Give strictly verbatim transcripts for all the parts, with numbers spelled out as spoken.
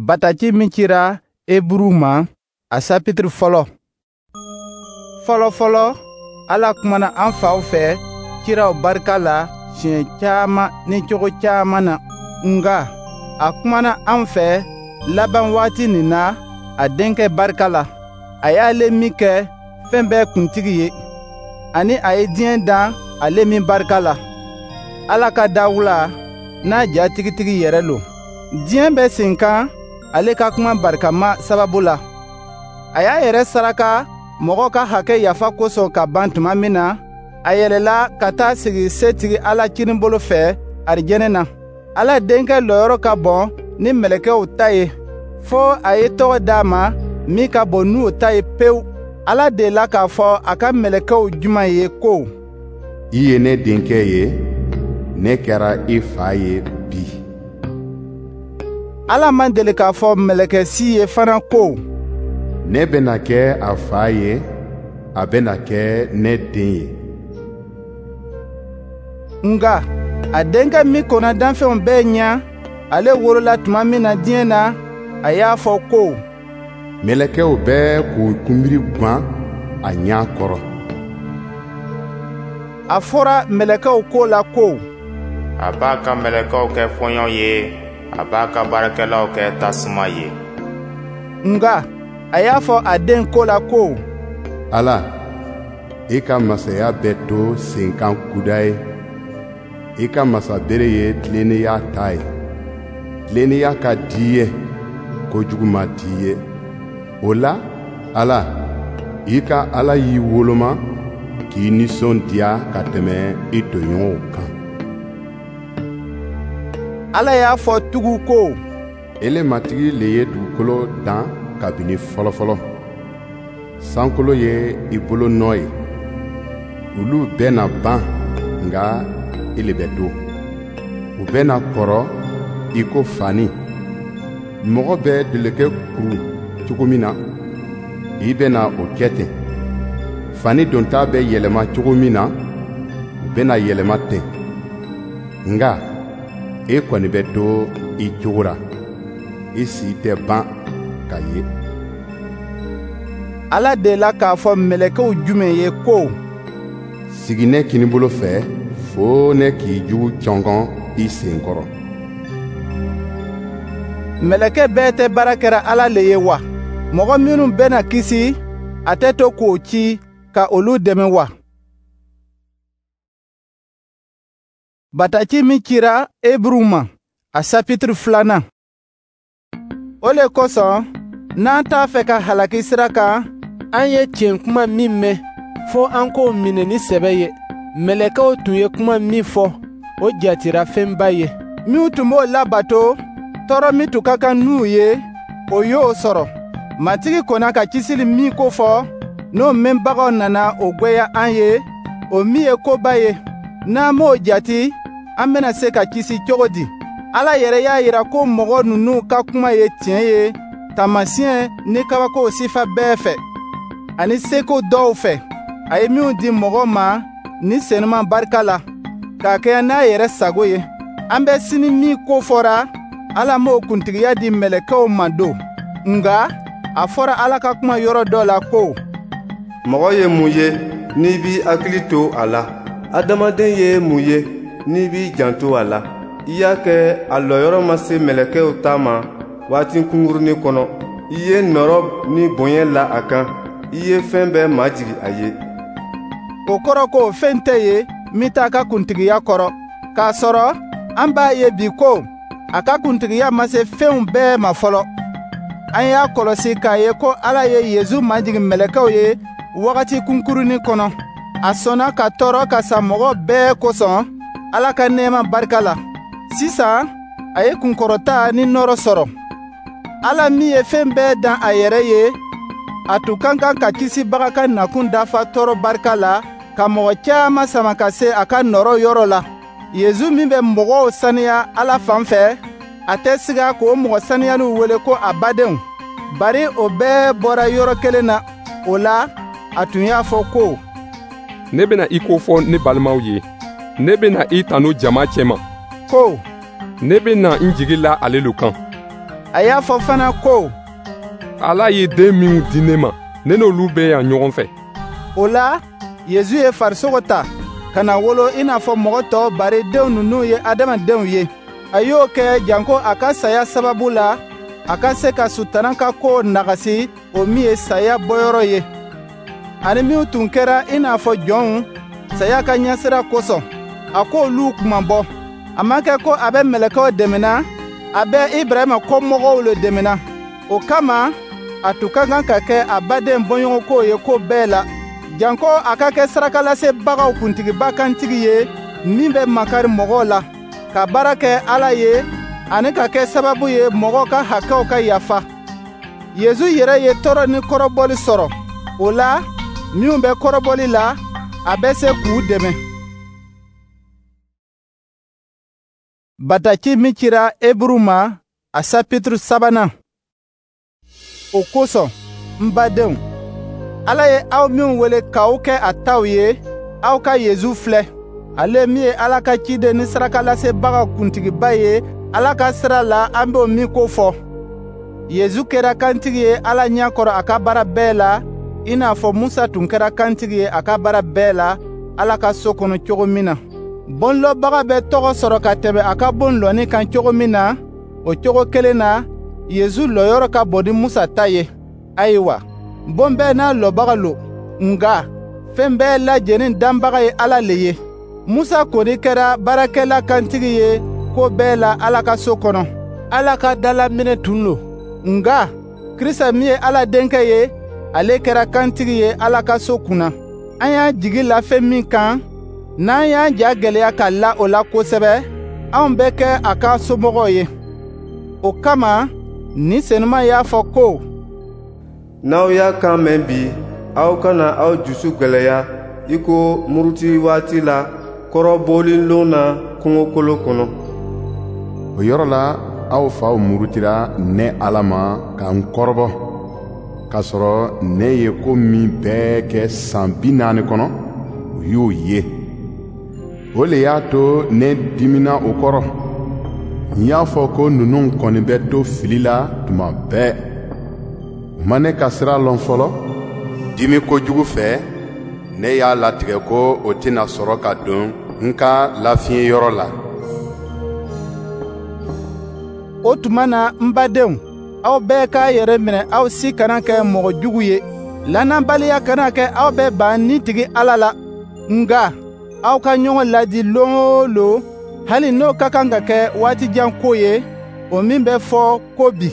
Bataki min cira Eburuw ma, a sapitiri fɔlɔ. Fɔlɔ-fɔlɔ, Ala kumana an faw fɛ kiraw barika la siɲɛ caman ni cogo caman na. Nka a kumana an fɛ laban waati nin na a Denkɛ barika la, a y'ale min kɛ fɛn bɛɛ kuntigi ye, ani a ye diɲɛ dan ale min barika la. Ala ka dawula n'a ja tigitigi yɛrɛ lo. Diɲɛ bɛ sen kan ale ka kuma barikama sababu la. A y'a yɛrɛ saraka mɔgɔw ka hakɛ yafa kosɔn ka ban tuma min na, a yɛlɛla ka taa sigi Setigi Ala kininbolo fɛ arijɛnɛ na. Ala Denkɛ lɔyɔrɔ ka bon ni mɛlɛkɛw ta ye, fo a ye tɔgɔ d'a ma min ka bon n'u ta ye pewu. Ala delila k'a fɔ a ka mɛlɛkɛw juman ye ko: I ye ne denkɛ ye, ne kɛra i fa ye bi. Ala man deli k'a fɔ mɛlɛkɛ si ye fana ko: Ne bɛna kɛ a fa ye, a bɛna kɛ ne den ye. Nka a Denkɛ min kɔnna danfɛnw bɛɛ ɲɛ, ale wolola tuma min na diɲɛ na, a y'a fɔ ko: Mɛlɛkɛw bɛɛ k'u kunbiri gwan a ɲɛ kɔrɔ. A fɔra mɛlɛkɛw ko la ko: A b'a ka mɛlɛkɛw kɛ fɔɲɔ ye, a b'a ka baarakɛlaw kɛ tasuma ye. Nka a y'a fɔ a den ko la ko: Ala, i ka masaya bɛ to senkan kudayi ye. I ka masabere ye tilennenya ta ye. Tilennenya ka di i ye, kojugu ma di i ye. O la, Ala, i ka Ala y'i woloma k'i nisɔndiya ka tɛmɛ i tɔɲɔgɔnw kan. Ala y'a fɔ tugun ko: Ele Matigi le ye dugukolo dan kabini fɔlɔfɔlɔ. Sankolo ye i bolo nɔ ye. Olu bɛɛ na ban, nka i le bɛ to. U bɛɛ na kɔrɔ i ko fani. Mɔgɔ bɛ dɔlɔkɛ kuru cogo min na, i bɛna o kɛ ten. Fani donta bɛ yɛlɛma cogo min na, u bɛna yɛlɛma ten. Nka e kɔni bɛ to i cogo ra. I si tɛ ban ka ye. Ala delila k'a fɔ mɛlɛkɛw jumɛn ye ko: Sigi ne kininbolo fɛ fo ne k'i jugu cɔngɔn i sen kɔrɔ. Mɛlɛkɛ bɛɛ tɛ baara kɛra Ala le ye wa? Mɔgɔ minnu bɛna kisi, a tɛ to k'o ci ka olu dɛmɛ wa? Bataki min cira Eburuw ma, a sapitiri filanan. O le kosɔn, n'an t'a fɛ ka halaki sira kan, an ye tiɲɛ kuma min mɛn, fo an k'o minɛ ni sɛbɛ ye. Mɛlɛkɛw tun ye kuma min fɔ, o jatira fɛnba ye. Minnu tun b'o labato, tɔɔrɔ min tun ka kan n'u ye, o y'o sɔrɔ. Matigi kɔnna ka kisili min ko fɔ, n'o mɛnbagaw nana o gwɛya an ye, o min ye koba ye, n'an m'o jati, an bɛna se ka kisi cogo di? Ala yɛrɛ y'a yira ko mɔgɔ ninnu ka kuma ye tiɲɛ ye taamasiyɛn ni kabakow sifa bɛɛ fɛ, ani seko dɔw fɛ, a ye minnu di mɔgɔ ma ni Senuma barika la, k'a kɛɲɛ n'a yɛrɛ sago ye. An bɛ sini min ko fɔra, Ala m'o kuntigiya di mɛlɛkɛw ma don. Nka a fɔra Ala ka kuma yɔrɔ dɔ la ko: Mɔgɔ ye mun ye n'i b'i hakili to a la? Adamaden ye mun ye n'i b'i janto a la? I y'a kɛ a lɔyɔrɔ ma se mɛlɛkɛw ta ma waati kunkurunin kɔnɔ. I ye nɔrɔ ni bonya la a kan. I ye fɛn bɛɛ majigin a ye. O kɔrɔ ko fɛn tɛ yen min t'a ka kuntigiya kɔrɔ. K'a sɔrɔ an b'a ye bi ko a ka kuntigiya ma se fɛnw bɛɛ ma fɔlɔ. An y'a kɔlɔsi k'a ye ko Ala ye Yezu majigin mɛlɛkɛw ye wagati kunkurunin kɔnɔ. A sɔnna ka tɔɔrɔ ka sa mɔgɔ bɛɛ kosɔn Ala ka nɛɛma barika la. Sisan a ye kunkɔrɔta ni nɔɔrɔ sɔrɔ. Ala min ye fɛn bɛɛ dan a yɛrɛ ye, a tun ka kan ka kisibaga ka nakun dafa tɔɔrɔ barika la, ka mɔgɔ caman sama ka se a ka nɔɔrɔ yɔrɔ la. Yezu min bɛ mɔgɔw saniya Ala fan fɛ, a tɛ siga k'o mɔgɔ saniyaliw wele ko a badenw, bari o bɛɛ bɔra yɔrɔ kelen na. O la, a tun y'a fɔ ko: Ne bɛna i ko fɔ ne balimaw ye. Ne bɛna i tanu jama cɛma. Ko: Ne bɛna n jigi la ale lo kan. A y'a fɔ fana ko: Ala ye den minnu di ne ma, ne n'olu bɛ yan ɲɔgɔn fɛ. O la, Yezu ye farisogo ta, ka na wolo i n'a fɔ mɔgɔ tɔw, bari denw ninnu ye adamadenw ye. A y'o kɛ janko a ka saya sababu la, a ka se ka Sutana ka kow nagasi, o min ye saya bɔyɔrɔ ye. Ani minnu tun kɛra i n'a fɔ jɔnw saya ka ɲɛsira kosɔn, a k'olu kunmabɔ. A ma kɛ ko a bɛ mɛlɛkɛw dɛmɛna, a bɛ Ibrahima kɔmɔgɔw le dɛmɛna. O kama, a tun ka kan ka kɛ a baden bɔɲɔgɔnko ye ko bɛɛ la, janko a ka kɛ sarakalasebagaw kuntigiba kantigi ye min bɛ makari mɔgɔw la, ka baara kɛ Ala ye ani ka kɛ sababu ye mɔgɔw ka hakɛw ka yafa. Yezu yɛrɛ ye tɔɔrɔ ni kɔrɔbɔli sɔrɔ. O la, minnu bɛ kɔrɔbɔli la, a bɛ se k'u dɛmɛ. Bataki min cira Eburu ma, a sapituru sabanan. O kosɔn, n badenw, Ala ye aw minw wele k'aw kɛ a taw ye, aw ka Yezu filɛ. Ale min ye Ala ka ciden ni sarakalasebagaw kuntigiba ye Ala ka sira la, an b'o min ko fɔ. Yezu kɛra kantigi ye Ala ɲɛ kɔrɔ a ka baara bɛɛ la, i n'a fɔ Musa tun kɛra kantigi ye a ka baara bɛɛ la Ala ka so kɔnɔ cogo min na. Bonlɔbaga bɛ tɔgɔ sɔrɔ ka tɛmɛ a ka bon lɔnni kan cogo min na, o cogo kelen na, Yezu lɔyɔrɔ ka bon ni Musa ta ye. Ayiwa, bon bɛɛ n'a lɔbaga lo, nka fɛn bɛɛ lajɛlen danbaga ye Ala le ye. Musa kɔni kɛra baarakɛla kantigi ye ko bɛɛ la Ala ka so kɔnɔ. Ala ka dalaminɛ tun lo. Nka Krista min ye Ala denkɛ ye, ale kɛra kantigi ye Ala ka so kunna. An y'an jigi la fɛn min kan, n'an y'an ja gwɛlɛya ka la o la kosɛbɛ, anw bɛ kɛ a ka somɔgɔw ye. O kama, Ni Senuma y'a fɔ ko: N'aw y'a kan mɛn bi, aw kana aw jusu gwɛlɛya i ko muruti waati la kɔrɔbɔlilon na kungokolo kɔnɔ. O yɔrɔ la, aw faw murutira ne Ala ma ka n kɔrɔbɔ, k'a sɔrɔ ne ye ko min bɛɛ kɛ san bi naani kɔnɔ, u y'o ye. O le y'a to ne dimina o kɔrɔ. N y'a fɔ ko ninnu kɔni bɛ to fili la tuma bɛɛ. U ma ne ka sira lɔn fɔlɔ. Dimi kojugu fɛ, ne y'a latigɛ ko o tɛna sɔrɔ ka don n ka lafiɲɛ yɔrɔ la. O tuma na, n badenw, aw bɛɛ k'a yɛrɛ minɛ, aw si kana kɛ mɔgɔ jugu ye. Lannabaliya kana kɛ aw bɛɛ ban ni tigi Ala la. Nka aw ka ɲɔgɔn ladi lon o lon, hali n'o ka kan ka kɛ waati jan ko ye, o min bɛ fɔ ko bi,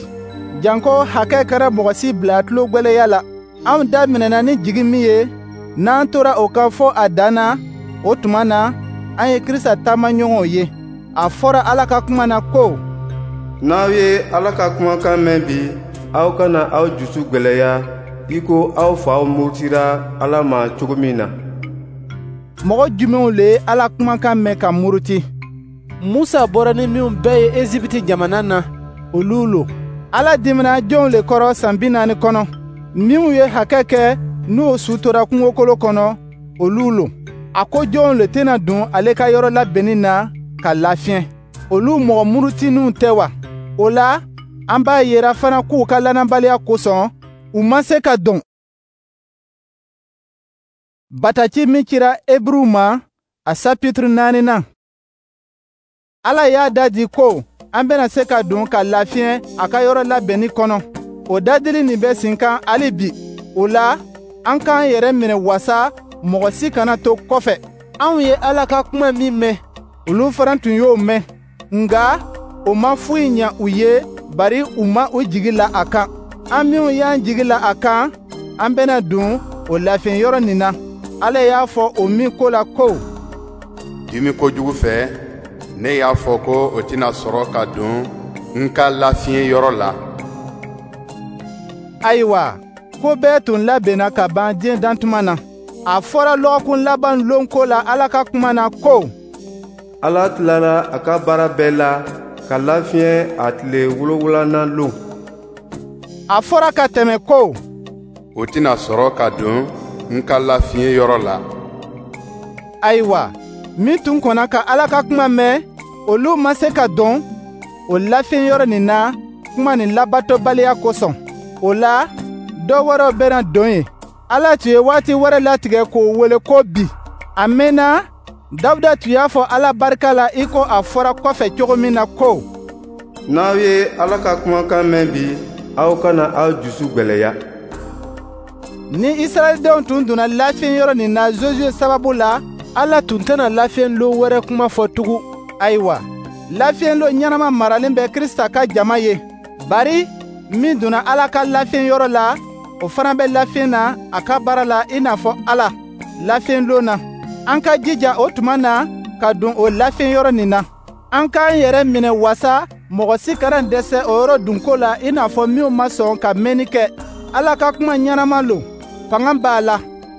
janko hakɛ kɛra mɔgɔ si bila tulo gwɛlɛya la. Anw daminɛna ni jigi min ye, n'an tora o kan fɔ a dan na, o tuma na, an ye Krista taamaɲɔgɔnw ye. A fɔra Ala ka kuma na ko: N'aw ye Ala ka kumakan mɛn bi, aw kana aw jusu gwɛlɛya i ko aw faw murutira Ala ma cogo min na. Mɔgɔ jumɛnw le ye Ala kumakan mɛn ka muruti? Musa bɔra ni minnu bɛɛ ye Ezipiti jamana na, olu lo. Ala dimina jɔnw le kɔrɔ san bi naani kɔnɔ? Minnu ye hakɛ kɛ n'o su tora kungokolo kɔnɔ, olu lo. A ko jɔnw le tɛna don ale ka yɔrɔ labɛnni na ka lafiɲɛ? Olu mɔgɔ murutininw tɛ wa? O la, an b'a yira fana k'u ka lannabaliya kosɔn, u ma se ka don. Bataki min cira Eburuw ma, a sapituru naaninan. Ala y'a dadi ko an bɛna se ka don ka lafiɲɛ a ka yɔrɔ labɛnni kɔnɔ. O dadili nin bɛ sen kan hali bi. O la, an k'an yɛrɛ minɛ wasa mɔgɔ si kana to kɔfɛ. Anw ye Ala ka kuma min mɛn, olu fana tun y'o mɛn. Nka o ma foyi ɲɛ u ye, bari u ma u jigi la a kan. An minnu y'an jigi la a kan, an bɛna don o lafiɲɛ yɔrɔ nin na. Ala y'a fɔ o min ko la ko: Dimi kojugu fɛ, ne y'a fɔ ko o tɛna sɔrɔ ka don n ka lafiɲɛ yɔrɔ la. Ayiwa, ko bɛɛ tun labɛnna ka ban diɲɛ dantuma na. A fɔra lɔgɔkun laban lon ko la Ala ka kuma na ko: Ala tilara a ka baara bɛɛ la ka lafiɲɛ a tile wolonwulanan lon. A fɔra ka tɛmɛ ko: O tɛna sɔrɔ ka don n ka lafiɲɛ yɔrɔ la. Ayiwa, min tun kɔnna ka Ala ka kuma mɛn, olu ma se ka don o lafiɲɛ yɔrɔ nin na, kuma nin labatobaliya kosɔn. O la, dɔ wɛrɛw bɛna don yen. Ala tun ye waati wɛrɛ latigɛ k'o wele ko bi. A mɛnna, Dawuda tun y'a fɔ Ala barika la i ko a fɔra kɔfɛ cogo min na ko: N'aw ye Ala ka kumakan mɛn bi, aw kana aw jusu gwɛlɛya. Ni Israɛlidenw tun donna lafiɲɛ yɔrɔ nin na Josuwe sababu la, Ala tun tɛna lafiɲɛlon wɛrɛ kuma fɔ tugun. Ayiwa, lafiɲɛlon ɲɛnama maralen bɛ Krisita ka jama ye. Bari min donna Ala ka lafiɲɛ yɔrɔ la, o fana bɛ lafiɲɛ na a ka baara la i n'a fɔ Ala lafiɲɛlon na. An ka jija o tuma na ka don o lafiɲɛ yɔrɔ nin na. An k'an yɛrɛ minɛ wasa mɔgɔ si kana dɛsɛ o yɔrɔ dunko la i n'a fɔ minnu ma sɔn ka mɛnni kɛ. Ala ka kuma ɲɛnama lo, fanga b'a la.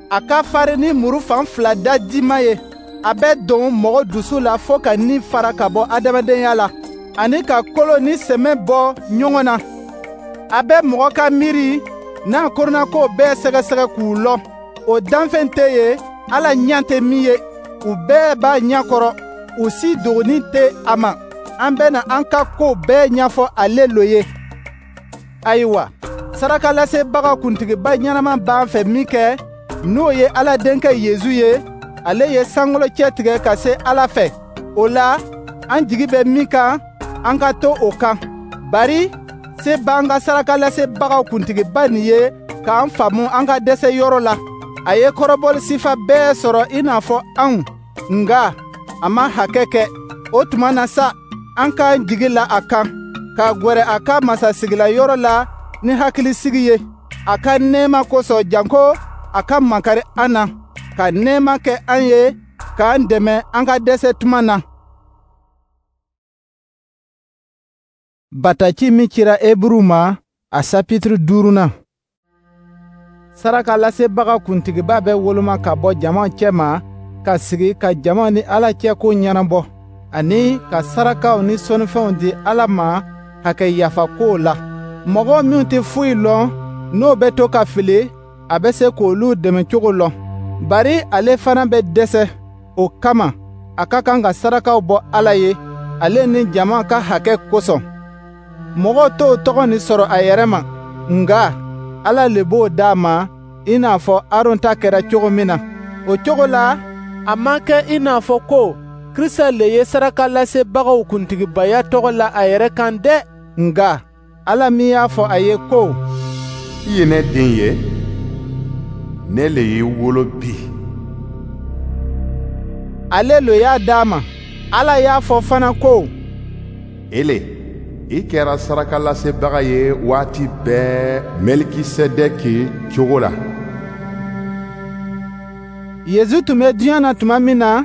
A ka farin ni muru fan fila da dima ye. A bɛ don mɔgɔ dusu la fo ka ni fara ka bɔ adamadenya la, ani ka kolo ni sɛmɛ bɔ ɲɔgɔn na. A bɛ mɔgɔ ka miiri n'a kɔnɔnakow bɛɛ sɛgɛsɛgɛ k'u lɔn. O danfɛn tɛ yen Ala ɲɛ tɛ min ye. U bɛɛ b'a ɲɛ kɔrɔ, u si dogoni tɛ a ma. An bɛna an ka kow bɛɛ ɲɛfɔ ale lo ye. Ayiwa, sarakalasebaga kuntigiba ɲɛnama b'an fɛ min kɛ, n'o ye Ala denkɛ Yezu ye, ale ye sankolo cɛtigɛ ka se Ala fɛ. O la, an jigi bɛ min kan, an ka to o kan. Bari se b'an ka sarakalasebagaw kuntigiba nin ye k'an faamu an ka dɛsɛ yɔrɔ la. A ye kɔrɔbɔli sifa bɛɛ sɔrɔ i n'a fɔ anw, nka a ma hakɛ kɛ. O tuma na sa, an k'an jigi la a kan, ka gwɛrɛ a ka masasigila yɔrɔ la ni hakilisigi ye. A ka nɛɛma kosɔn janko a ka makari an na, ka nɛɛma kɛ an ye, k'an dɛmɛ an ka dɛsɛ tuma na. Bataki min cira Eburuw ma, a sapitiri duurunan. Sarakalasebaga kuntigiba bɛ woloma ka bɔ jama cɛma ka sigi ka jama ni Ala cɛ ko ɲɛnabɔ, ani ka sarakaw ni sɔnnifɛnw di Ala ma hakɛ yafa kow la. Mɔgɔ minnu tɛ foyi lɔn, n'o bɛ to ka fili, a bɛ se k'olu dɛmɛ cogo lɔn. Bari ale fana bɛ dɛsɛ. O kama, a ka kan ka sarakaw bɔ Ala ye, ale ni jama ka hakɛ kosɔn. Mɔgɔ t'o tɔgɔ nin sɔrɔ a yɛrɛ ma, nka Ala le b'o d'a ma i n'a fɔ Aron ta kɛra cogo min na. O cogo la, a ma kɛ i n'a fɔ ko Krisita le ye sarakalasebagaw kuntigibaya tɔgɔ la a yɛrɛ kan dɛ. Nka Ala min y'a fɔ a ye ko: I ye ne den ye, ne le y'i wolo bi. Ale lo y'a d'a ma. Ala y'a fɔ fana ko: Ele, i kɛra sarakalasebaga ye waati bɛɛ Mɛlikisedɛki cogo la. Yezu tun bɛ diɲɛ na tuma min na,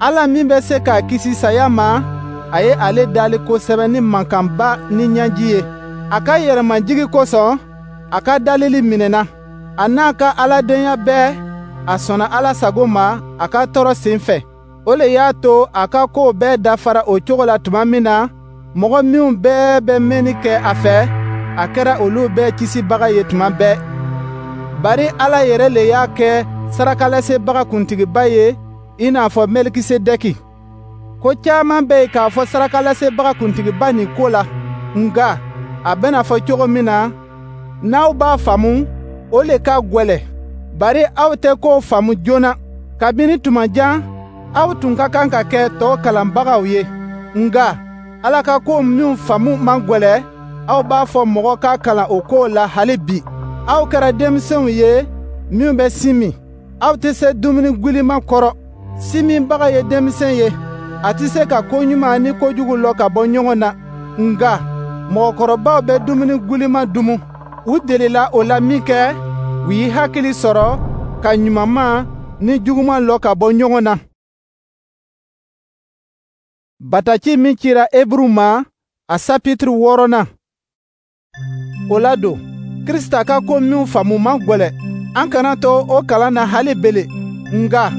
Ala min bɛ se k'a kisi saya ma, a ye ale dali kosɛbɛ ni mankanba ni ɲɛji ye. A ka yɛrɛmajigi kosɔn, a ka dalili minɛna. A n'a ka aladenya bɛɛ, a sɔnna Ala sago ma a ka tɔɔrɔ sen fɛ. O le y'a to a ka kow bɛɛ dafara o cogo la tuma min na, mɔgɔ minnu bɛɛ bɛ mɛnni kɛ a fɛ, a kɛra olu bɛɛ kisibaga ye tuma bɛɛ. Bari Ala yɛrɛ le y'a kɛ sarakalasebaga kuntigiba ye i n'a fɔ Mɛlikisedɛki. Ko caman bɛ yen k'a fɔ sarakalasebaga kuntigiba nin ko la, nka a bɛna fɔ cogo min na, n'aw b'a faamu, o le ka gwɛlɛ. Bari aw tɛ kow faamu joona. Kabini tuma jan, aw tun ka kan ka kɛ tɔw kalanbagaw ye. Nka Ala ka ko minw faamu man gwɛlɛ, aw b'a fɔ mɔgɔ ka kalan o kow la hali bi. Aw kɛra denmisɛnw ye minnu bɛ sin min. Aw tɛ se dumuni gwiliman kɔrɔ. Sin minbaga ye denmisɛn ye, a tɛ se ka ko ɲuman ni kojugu lɔn ka bɔ ɲɔgɔn na. Nka mɔgɔkɔrɔbaw bɛ dumuni gwiliman dumu. U delila o la min kɛ, u y'i hakili sɔrɔ ka ɲumanma ni juguman lɔn ka bɔ ɲɔgɔn na. Bataki min cira Eburuw ma, a sapitiri wɔɔrɔnan. O la don, Krisita ka ko minw faamu man gwɛlɛ. An kana to o kalan na hali bele, nka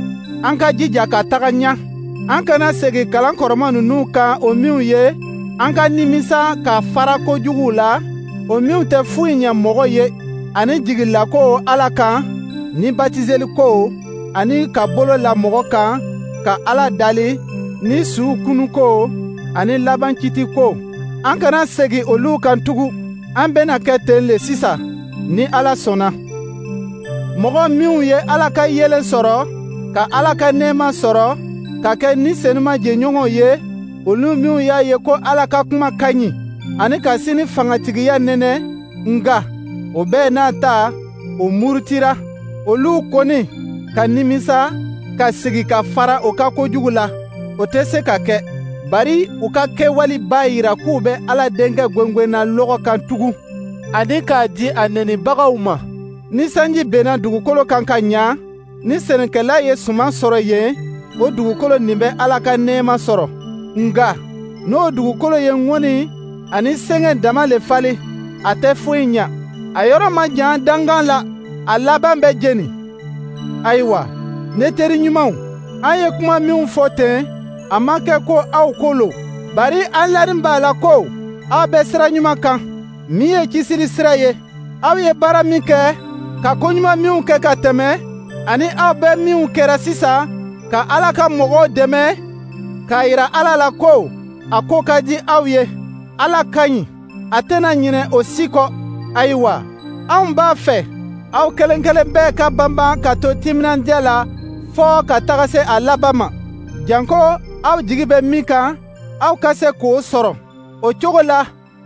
an ka jija ka taga ɲɛ. An kana segin kalan kɔrɔma ninnu kan o minw ye, an ka nimisa ka fara kojuguw la, o minw tɛ foyi ɲɛ mɔgɔ ye, ani jigilako Ala kan, ni batiseliko, ani ka bolo la mɔgɔ kan, ka Ala dali, ni suw kunuko, ani laban kiti ko. An kana segin olu kan tugun. An bɛna kɛ ten le sisan, ni Ala sɔnna. Mɔgɔ minnu ye Ala ka yeelen sɔrɔ, ka Ala ka nɛɛma sɔrɔ, ka kɛ Ni Senuma jɛɲɔgɔnw ye, olu minnu y'a ye ko Ala ka kuma ka ɲi, ani ka sini fangatigiya nɛnɛ, nka o bɛɛ n'a ta, o murutira, olu kɔni ka nimisa ka sigi ka fara o ka kojugu la, o tɛ se ka kɛ. Bari u ka kɛwale b'a yira k'u bɛ Ala Denkɛ gwengwenna lɔgɔ kan tugun, ani k'a di a nɛnibagaw ma. Ni sanji benna dugukolo kan ka ɲa, ni sɛnɛkɛla ye suman sɔrɔ yen, o dugukolo nin bɛ Ala ka nɛɛma sɔrɔ. Nka n'o dugukolo ye ŋɔni ani sɛgɛn dama le falen, a tɛ foyi ɲa. A yɔrɔ man jan dankan la, a laban bɛ jeni. Ayiwa, ne teri ɲumanw, an ye kuma minw fɔ ten, a ma kɛ ko aw ko lo. Bari an lanin b'a la ko aw bɛ sira ɲuman kan, min ye kisili sira ye. Aw ye baara min kɛ, ka koɲuman minw kɛ ka tɛmɛ, ani aw bɛ minw kɛra sisan, ka Ala ka mɔgɔw dɛmɛ, k'a yira Ala la ko a ko ka di aw ye. Ala ka ɲi, a tɛna ɲinɛ o si kɔ. Ayiwa, anw b'a fɛ aw kelen kelen bɛɛ ka banban ka to timinandiya la fɔɔ ka taga se a laban ma. Janko aw jigi bɛ min kan, aw ka se k'o sɔrɔ. O cogo la,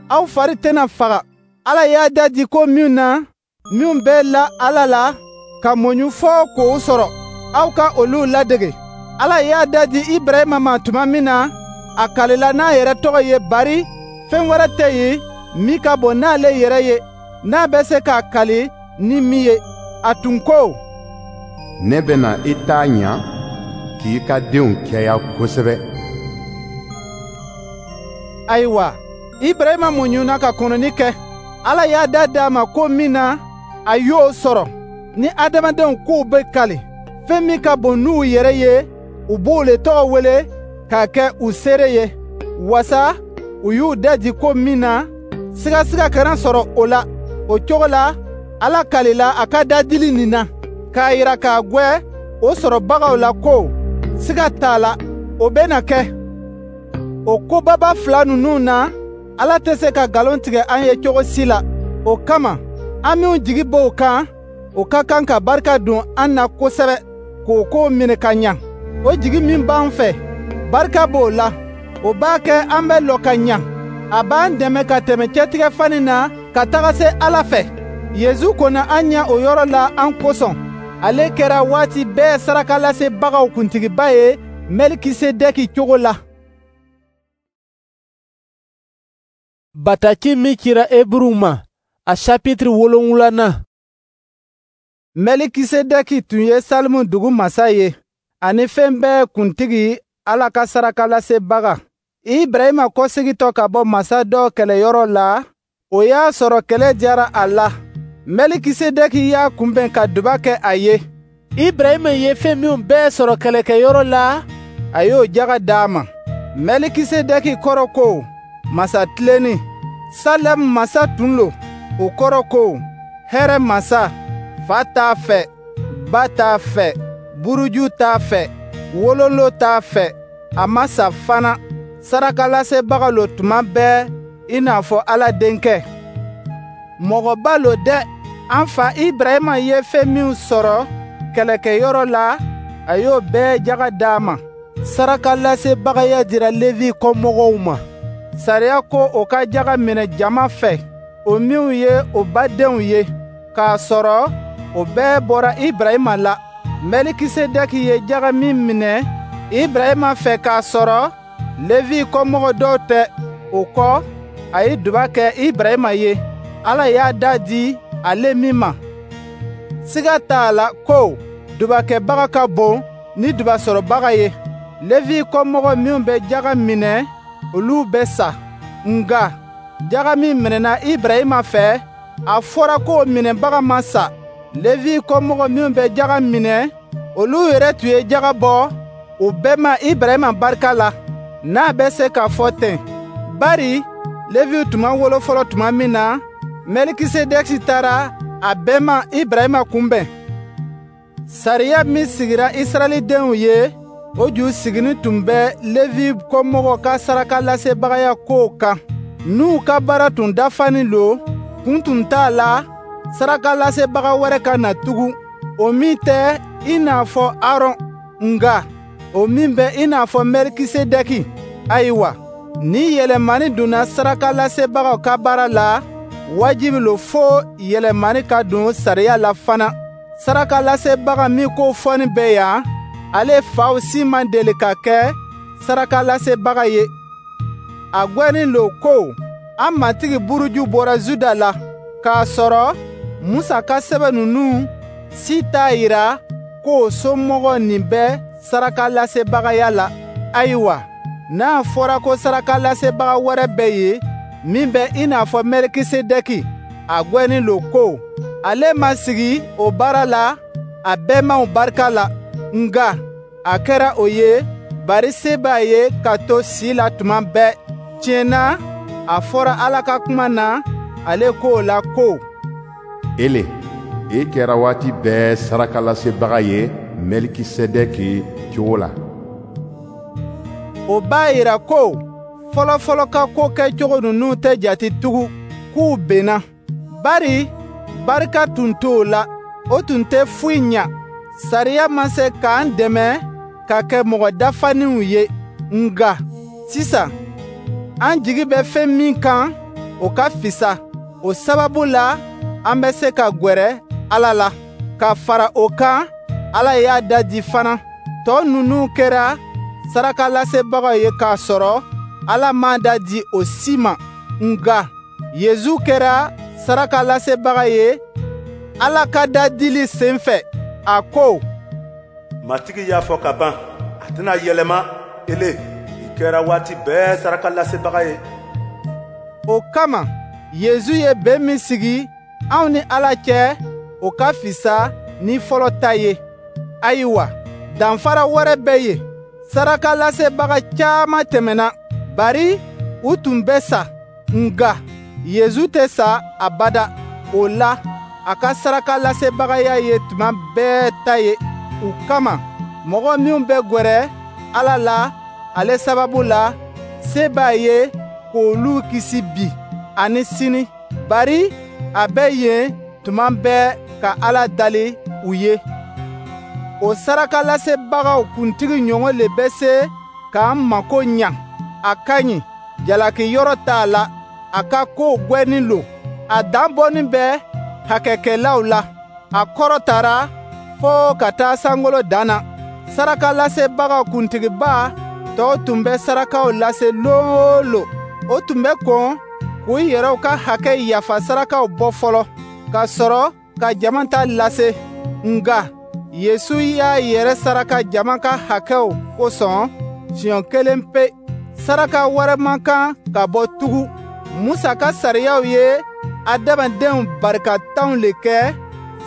aw fari tɛna faga. Ala y'a da di ko min na, minnu bɛ la Ala la, ka muɲu fɔɔ k'o sɔrɔ, aw ka olu ladege. Ala y'a da di Ibrahima ma tuma min na, a kalila n'a yɛrɛ tɔgɔ ye, bari fɛn wɛrɛ tɛ yen min ka bon n'ale yɛrɛ ye, n'a bɛ se k'a kali ni min ye. A tun ko: Ne bɛna i ta ɲa, k'i ka denw caya kosɛbɛ. Ayiwa, Ibrahima muɲuna ka kɔnɔni kɛ. Ala y'a da di a ma ko min na, a y'o sɔrɔ. Ni adamadenw k'u bɛ kali fɛn min ka bon n'u yɛrɛ ye, u b'o le tɔgɔ wele k'a kɛ u seere ye, wasa u y'u da di ko min na, sigasiga kana sɔrɔ o la. O cogo la, Ala kalila a ka dadili nin na, k'a yira k'a gwɛ o sɔrɔbagaw la ko siga t'a la, o bɛna kɛ. O kobaba fila ninnu na, Ala tɛ se ka nkalon tigɛ an ye cogo si la. O kama, an minw jigi b'o kan, o ka kan ka barika don an na kosɛbɛ, k'o ko minɛ ka ɲa. O jigi min b'an fɛ, barika b'o la. O b'a kɛ an bɛ lɔ ka ɲa. A b'an dɛmɛ ka tɛmɛ cɛtigɛfani na ka taga se Ala fɛ. Yezu kɔnna an ɲɛ o yɔrɔ la an kosɔn. Ale kɛra waati bɛɛ sarakalasebagaw kuntigiba ye Mɛlikisedɛki cogo la. Bataki min cira Eburuw ma, a chapitre wolonwulanan. Mɛlikisedɛki tun ye Salimu dugu masa ye, ani fɛn bɛɛ kuntigi, Ala ka sarakalasebaga. Ibrahima kɔsegintɔ ka bɔ masa dɔ kɛlɛyɔrɔ la, o y'a sɔrɔ kɛlɛ diyara a la. Mɛlikisedɛki y'a kunbɛn ka duba kɛ a ye. Ibrahima ye fɛn minw bɛɛ sɔrɔ kɛlɛkɛyɔrɔ la, a y'o jaga d'a ma. Mɛlikisedɛki kɔrɔ ko masa tilenni. Salɛmu masa tun lo, o kɔrɔ ko hɛrɛ masa. Fa t'a fɛ, ba t'a fɛ, buruju t'a fɛ, wololo t'a fɛ, a ma sa fana. Sarakalasebaga lo tuma bɛɛ i n'a fɔ Ala denkɛ. Mɔgɔba lo dɛ. An fa Ibrahima ye fɛn minw sɔrɔ kɛlɛkɛyɔrɔ la, a y'o bɛɛ jaga d'a ma. Sarakalasebagaya dira Levi kɔmɔgɔw ma. Sariya ko o ka jaga minɛ jama fɛ, o minw ye o badenw ye, k'a sɔrɔ o bɛɛ bɔra Ibrahima la. Mɛlikisedɛki ye jaga min minɛ Ibrahima fɛ k'a sɔrɔ Levi kɔmɔgɔ dɔw tɛ, o kɔ, a ye duba kɛ Ibrahima ye. Ala y'a da di ale min ma. Siga t'a la ko dubakɛbaga ka bon ni dubasɔrɔbaga ye. Levi kɔmɔgɔ minw bɛ jaga minɛ, olu bɛ sa. Nka jaga min minɛna Ibrahima fɛ, a fɔra k'o minɛbaga ma sa. Levi kɔmɔgɔ minw bɛ jaga minɛ, olu yɛrɛ tun ye jaga bɔ u bɛɛ ma Ibrahima barika la, n'a bɛ se k'a fɔ ten. Bari Levi tun ma wolo fɔlɔ tuma min na, Mɛlikisedɛki taara a bɛma Ibrahima kunbɛn. Sariya min sigira Israɛlidenw ye, o ju sigini tun bɛ Levi kɔmɔgɔ ka sarakalasebagaya kow kan. N'u ka baara tun dafanin lo, kun tun t'a la sarakalasebaga wɛrɛ ka na tugun, o min tɛ i n'a fɔ Aron, nka o min bɛ i n'a fɔ Mɛlikisedɛki. Ayiwa, ni yɛlɛmani donna sarakalasebagaw ka baara la, wajibi lo fo yɛlɛmani ka don sariya la fana. Sarakalasebaga min ko fɔnin bɛ yan, ale faw si ma deli ka kɛ sarakalasebaga ye. A gwɛnin lo ko an Matigi buruju bɔra Juda la, k'a sɔrɔ Musa ka sɛbɛn ninnu si t'a yira k'o somɔgɔ nin bɛ sarakalasebagaya la. Ayiwa, n'a fɔra ko sarakalasebaga wɛrɛ bɛ yen min bɛ i n'a fɔ Mɛlikisedɛki, a gwɛnin lo ko ale ma sigi o baara la a bɛnbaw barika la, nka a kɛra o ye bari se b'a ye ka to si la tuma bɛɛ. Tiɲɛ na, a fɔra Ala ka kuma na ale ko la ko: Ele, e kɛra waati bɛɛ sarakalasebaga ye Mɛlikisedɛki cogo la. O b'a yira ko fɔlɔfɔlɔ ka ko kɛcogo ninnu tɛ jate tugun, k'u benna. Bari barika tun t'o la, o tun tɛ foyi ɲa. Sariya ma se k'an dɛmɛ ka kɛ mɔgɔ dafaninw ye. Nka sisan, an jigi bɛ fɛn min kan, o ka fisa. O sababu la, an bɛ se ka gwɛrɛ Ala la. Ka fara o kan, Ala y'a da di fana. Tɔ ninnu kɛra sarakalasebagaw ye k'a sɔrɔ Ala m'a da di o si ma. Nka Yezu kɛra sarakalasebaga ye Ala ka dadili sen fɛ. A ko: Matigi y'a fɔ ka ban, a tɛna yɛlɛma. Ele, i kɛra waati bɛɛ sarakalasebaga ye. O kama, Yezu ye bɛn min sigi anw ni Ala cɛ, o ka fisa ni fɔlɔ ta ye. Ayiwa, danfara wɛrɛ bɛ yen. Sarakalasebaga caman tɛmɛna, bari u tun bɛ sa. Nka Yezu tɛ sa abada. O la, a ka sarakalasebagaya ye tuma bɛɛ ta ye. U kama, mɔgɔ minw bɛ gwɛrɛ Ala la ale sababu la, se b'a ye k'olu kisi bi ani sini, bari a bɛ yen tuma bɛɛ ka Ala dali u ye. O sarakalasebagaw kuntigi ɲɔgɔn le bɛ se k'an mako ɲa. A ka ɲi, jalaki yɔrɔ t'a la, a ka kow gwɛnin lo. A dan bɔnin bɛ hakɛkɛlaw la, a kɔrɔtara fo ka taa sankolo dan na. Sarakalasebagaw kuntigiba tɔw tun bɛ sarakaw lase lon o lon. O tun bɛ kɔn k'u yɛrɛw ka hakɛ yafa sarakaw bɔ fɔlɔ, ka sɔrɔ ka jama ta lase. Nka Yesu y'a yɛrɛ saraka jama ka hakɛw kosɔn siɲɛ kelen pe. Saraka wɛrɛ man kan ka bɔ tugun. Musa ka sariyaw ye adamadenw barikatanw le kɛ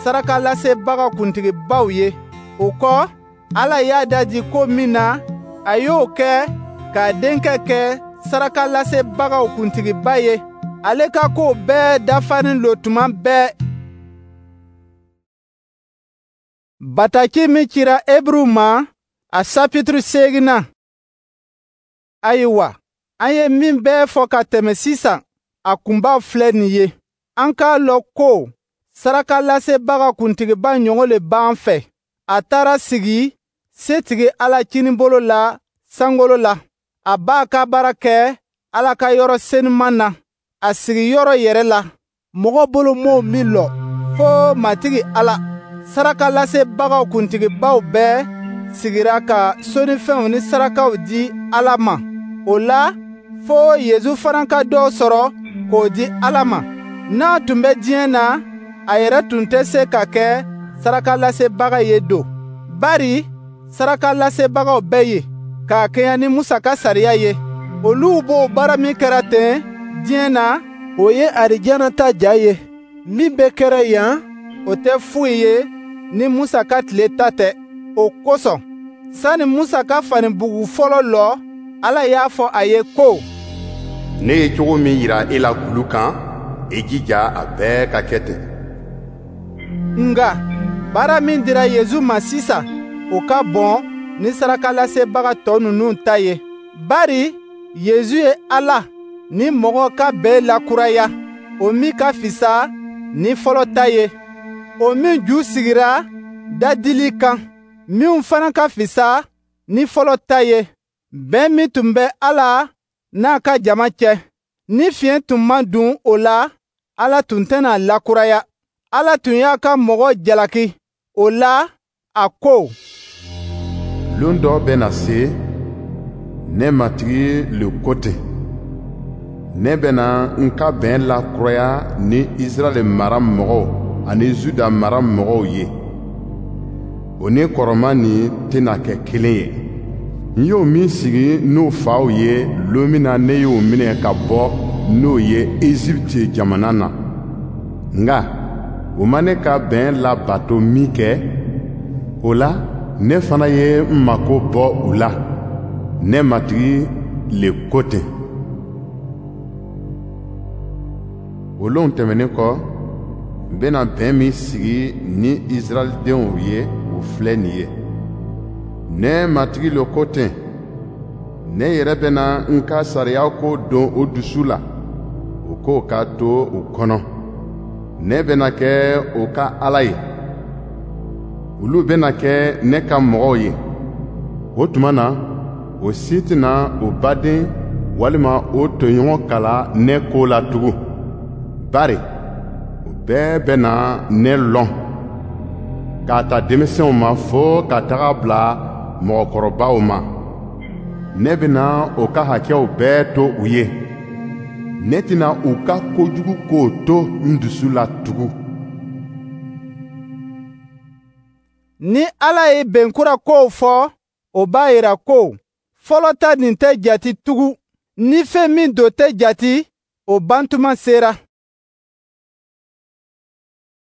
sarakalasebagaw kuntigibaw ye. O kɔ, Ala y'a dadi ko min na, a y'o kɛ k'a denkɛ kɛ sarakalasebagaw kuntigiba ye. Ale ka kow bɛɛ dafanin lo tuma bɛɛ. Bataki min cira Eburuw ma, a sapituru seeginnan. Ayiwa, an ye min bɛɛ fɔ ka tɛmɛ sisan, a kunbaw filɛ nin ye. An k'a lɔn ko sarakalasebaga kuntigiba ɲɔgɔn le b'an fɛ. A taara sigi setigi Ala kinibolo la sankolo la. A b'a ka baara kɛ Ala ka yɔrɔ senuman na, a sigiyɔrɔ yɛrɛ la. Mɔgɔ bolo m'o min lɔ, fo Matigi Ala. Sarakalasebagaw kuntigibaw bɛɛ sigira ka sɔnnifɛnw ni sarakaw di Ala ma. O la, fo Yezu fana ka dɔ sɔrɔ k'o di Ala ma. N'a tun bɛ diɲɛ na, a yɛrɛ tun tɛ se ka kɛ sarakalasebaga ye don. Bari sarakalasebagaw bɛ yen k'a kɛɲɛ ni Musa ka sariya ye. Olu b'o baara min kɛra ten diɲɛ na, o ye arijana ta ja ye. Min bɛ kɛra yan, o tɛ foyi ye ni Musa ka tile ta tɛ. O kosɔn, sani Musa ka fanibugu fɔlɔ lɔ, Ala y'a fɔ a ye ko: Ne ye cogo min yira e la kulu kan, i jija a bɛɛ ka kɛ ten. Nka baara min dira Yezu ma sisan, o ka bon ni sarakalasebaga tɔ ninnu ta ye. Bari Yezu ye Ala Ni mɔgɔ ka bɛn lakuraya, o min ka fisa ni fɔlɔ ta ye, o min ju sigira dadili kan, minw fana ka fisa ni fɔlɔ ta ye, bɛn min tun bɛ Ala n'a ka jama cɛ. Ni fiɲɛ tun ma dun o la, Ala tun tɛna lakuraya. Ala tun y'a ka mɔgɔ jalaki, o la a ko: Lon dɔ bɛ na se, ne Matigi le ko ten. Ne bɛna n ka bɛn lakuraya ni Israɛl mara mɔgɔw ani Juda mara mɔgɔw ye. O ni kɔrɔman nin tɛna kɛ kelen ye. N y'o min sigi n'o faw ye lon min na ne y'o minɛ ka bɔ n'o ye Egypte jamana na. Nka o ma ne ka bɛn labato min kɛ, o la ne fana ye n mako bɔ u la. Ne Matigi le ko ten. O lonw tɛmɛnen kɔ, n bɛna bɛn min sigi ni Israɛldenw ye, o filɛ nin ye. Ne Matigi le ko ten. Ne yɛrɛ bɛna n ka sariya ko don o dusu la, o k'o ka to u kɔnɔ. Ne bɛna kɛ o ka Ala ye. Olu bɛna kɛ ne ka mɔgɔw ye. O tuma na, o si tɛna o baden walima o tɔɲɔgɔn kalan ne ko la tugun. Bari o bɛɛ bɛna ne lɔn, k'a ta denmisɛnw ma fo ka taga bila mɔgɔkɔrɔbaw ma. Ne bɛna o ka hakɛw bɛɛ to u ye. Ne tɛna u ka kojugu kow to n dusu la tugun. Ni Ala ye bɛnkura kow fɔ, o b'a yira ko fɔlɔ ta nin tɛ jate tugun. Ni fɛn min do tɛ jate, o bantuma sera.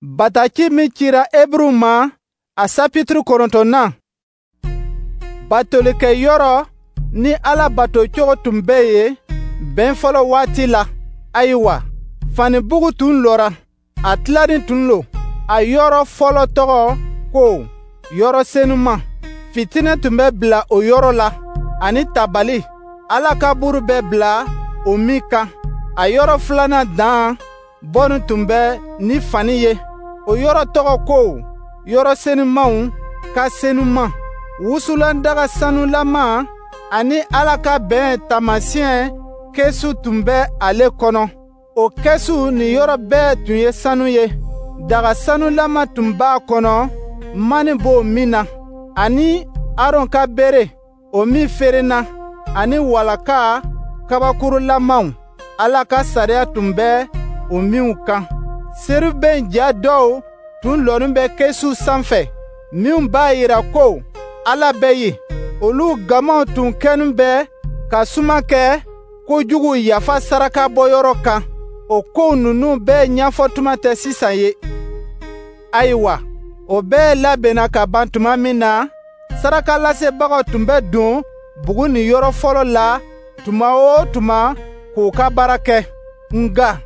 Bataki min cira Eburuw ma, a sapitiri kɔnɔntɔnnan. Batolikɛyɔrɔ ni Ala batocogo tun bɛ yen bɛn fɔlɔ waati la. Ayiwa, fanibugu tun lɔra, a tilanin tun lo. A yɔrɔ fɔlɔ tɔgɔ ko yɔrɔ senuma. Fitinɛ tun bɛ bila o yɔrɔ la, ani tabali. Ala ka buru bɛ bila o min kan. A yɔrɔ filanan dan bɔnni tun bɛ ni fani ye. O yɔrɔ tɔgɔ ko yɔrɔ senumanw ka senuman. Wusulandaga sanulama ani Ala ka bɛn taamasiyɛn kɛsu tun bɛ ale kɔnɔ. O kɛsu ni yɔrɔ bɛɛ tun ye sanu ye. Daga sanulama tun b'a kɔnɔ, mani b'o min na, ani Aron ka bere, o min ferenna, ani walaka kabakurulamaw. Ala ka sariya tun bɛ o minw kan. Serubɛn ja dɔw tun lɔnin bɛ kɛsu sanfɛ, minw b'a yira ko Ala bɛ yen. Olu gamaw tun kɛnin bɛ ka suma kɛ kojugu yafa saraka bɔyɔrɔ kan. O kow ninnu bɛɛ ɲɛfɔtuma tɛ sisan ye. Ayiwa, o bɛɛ labɛnna ka ban tuma min na, sarakalasebagaw tun bɛ don bugu ni yɔrɔ fɔlɔ la tuma o tuma k'u ka baara kɛ. Nka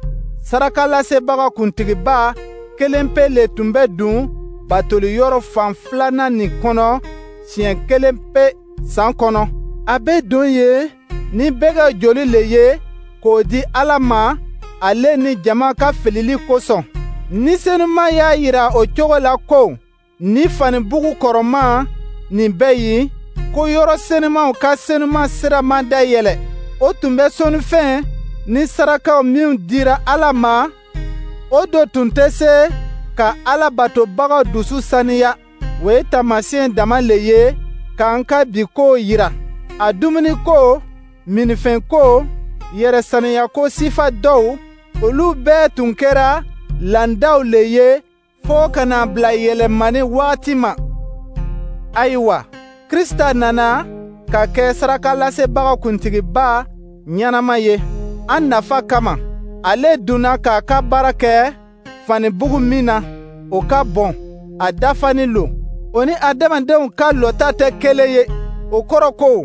sarakalasebaga kuntigiba kelen pe le tun bɛ don batoli yɔrɔ fan filanan nin kɔnɔ siɲɛ kelen pe san kɔnɔ. A bɛ don yen ni bɛgɛ joli le ye k'o di Ala ma, ale ni jama ka filili kosɔn. Ni Senuma y'a yira o cogo la ko ni fanibugu kɔrɔman nin bɛ yen, ko yɔrɔ senumanw ka senuma sira ma dayɛlɛ. O tun bɛ sɔnnifɛn ni sarakaw minw dira Ala ma, o do tun tɛ se ka Ala batobagaw dusu saniya. O ye taamasiyɛn dama le ye k'an ka bi kow yira. A dumuniko, minnifɛnko, yɛrɛsaniyako sifa dɔw, olu bɛɛ tun kɛra landaw le ye fo ka na bila yɛlɛmani waati ma. Ayiwa, Krista nana ka kɛ sarakalasebaga kuntigiba ɲɛnama ye an nafa kama. Ale donna k'a ka baara kɛ fanibugu min na, o ka bon, a dafanin lo. O ni adamadenw ka lɔta tɛ kelen ye. O kɔrɔ ko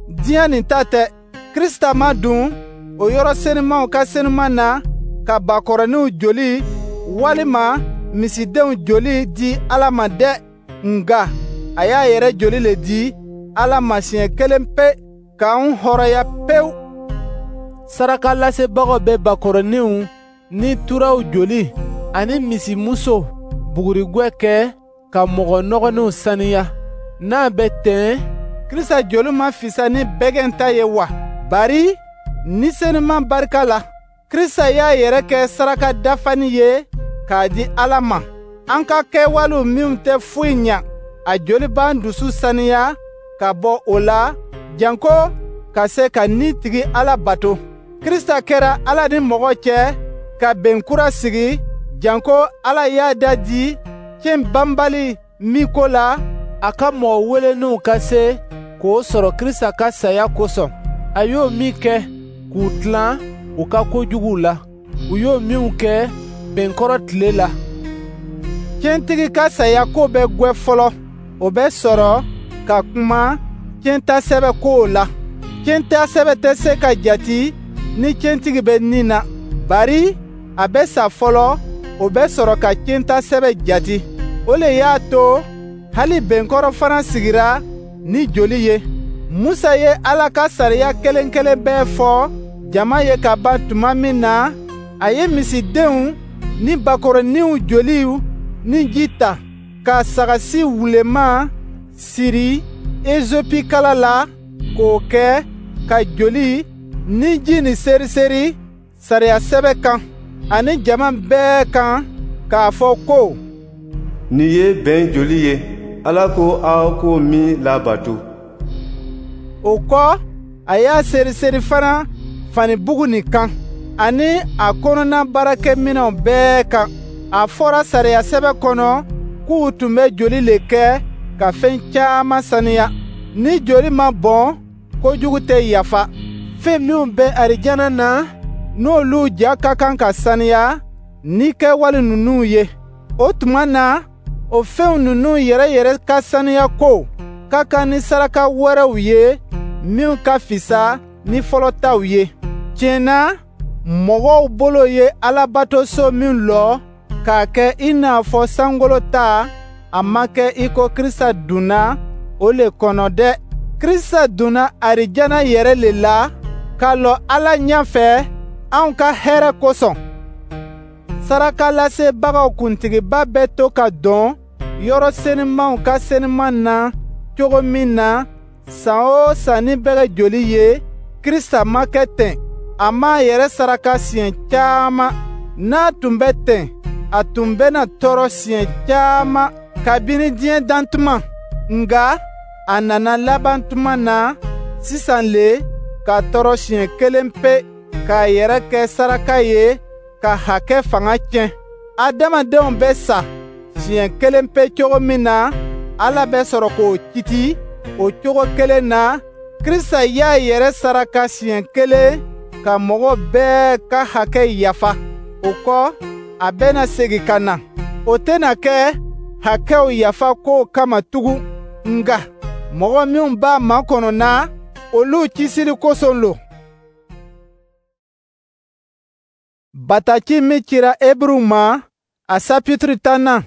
diɲɛ nin ta tɛ. Krista ma dun o yɔrɔ senumanw ka senuman na ka bakɔrɔninw joli walima misidenw joli di Ala ma dɛ. Nka a y'a yɛrɛ joli le di Ala ma siɲɛ kelen pe k'an hɔrɔnya pewu. Sarakalasebagaw bɛ bakɔrɔninw ni turaw joli ani misimuso bugurigwɛ kɛ ka mɔgɔ nɔgɔninw saniya. N'a bɛ ten, Krista joli ma fisa ni bɛgɛn ta ye wa? Bari Ni Senuma barika la, Krista y'a yɛrɛ kɛ saraka dafanin ye k'a di Ala ma. An ka kɛwalew minw tɛ foyi ɲa, a joli b'an dusu saniya ka bɔ o la, janko ka se ka Ni tigi Ala bato. Krista kɛra Ala ni mɔgɔ cɛ ka bɛn kura sigi, janko Ala y'a da di cɛn banbali min ko la, a ka mɔgɔ weleninw ka se k'o sɔrɔ Krista ka saya kosɔn. A y'o min kɛ k'u tilan u ka kojuguw la, u y'o minw kɛ bɛnkɔrɔ tile la. Tiɲɛtigi ka saya ko bɛ gwɛ fɔlɔ, o bɛ sɔrɔ ka kuma tiɲɛtasɛbɛ kow la. Tiɲɛtasɛbɛ tɛ se ka jati ni tiɲɛtigi bɛ ni na, bari a bɛ sa fɔlɔ, o bɛ sɔrɔ ka tiɲɛtasɛbɛ jati. O le y'a to hali bɛnkɔrɔ fana sigira ni joli ye. Musa ye Ala ka sariya kelen kelen bɛɛ fɔ jama ye ka ban tuma min na, a ye misidenw ni bakɔrɔninw joliw ni ji ta, ka sagasi wuleman siri ezopikala la k'o kɛ ka joli ni ji ni seriseri sariya sɛbɛ kan ani jama bɛɛ kan k'a fɔ ko: Nin ye bɛn joli ye, Ala ko aw k'o min labato. O kɔ, a y'a seriseri fana fanibugu nin kan ani a kɔnɔna baarakɛminɛnw bɛɛ kan. A fɔra sariya sɛbɛ kɔnɔ k'u tun bɛ joli le kɛ ka fɛn caman saniya. Ni joli ma bɔn, kojugu tɛ yafa. Fɛn minw bɛ arijana na, n'olu ja ka kan ka saniya ni kɛwale ninnu ye, o tuma na o fɛnw ninnu yɛrɛ yɛrɛ ka saniya ko ka kan ni saraka wɛrɛw ye minw ka fisa ni fɔlɔ taw ye. Tiɲɛ na, mɔgɔw bolo ye Alabatoso min lɔ k'a kɛ i n'a fɔ sankolo ta, a ma kɛ i ko Krista donna o le kɔnɔ dɛ. Krista donna arijana yɛrɛ le la ka lɔ Ala ɲɛfɛ anw ka hɛrɛ kosɔn. Sarakalasebagaw kuntigiba bɛ to ka don yɔrɔ senumanw ka senuman na cogo min na san o san ni bɛgɛ joli ye, Krista ma kɛ ten. A m'a yɛrɛ saraka siɲɛ caman. N'a tun bɛ ten, a tun bɛna tɔɔrɔ siɲɛ caman kabini diɲɛ dantuma. Nka a nana laban tuma na sisan le ka tɔɔrɔ siɲɛ kelen pe k'a yɛrɛ kɛ saraka ye ka hakɛ fanga tiɲɛ. Adamadenw bɛ sa siɲɛ kelen pe cogo min na, Ala bɛ sɔrɔ k'o kiti o cogo kelen na. Krista y'a yɛrɛ saraka siɲɛ kelen ka mɔgɔ bɛɛ ka hakɛ yafa. O kɔ, a bɛna segin ka na. O tɛna kɛ hakɛw yafa kow kama tugun, nka mɔgɔ minw b'a makɔnɔ na, olu kisili kosɔn lo. Bataki min cira Eburuw ma, a sapitiri tannan.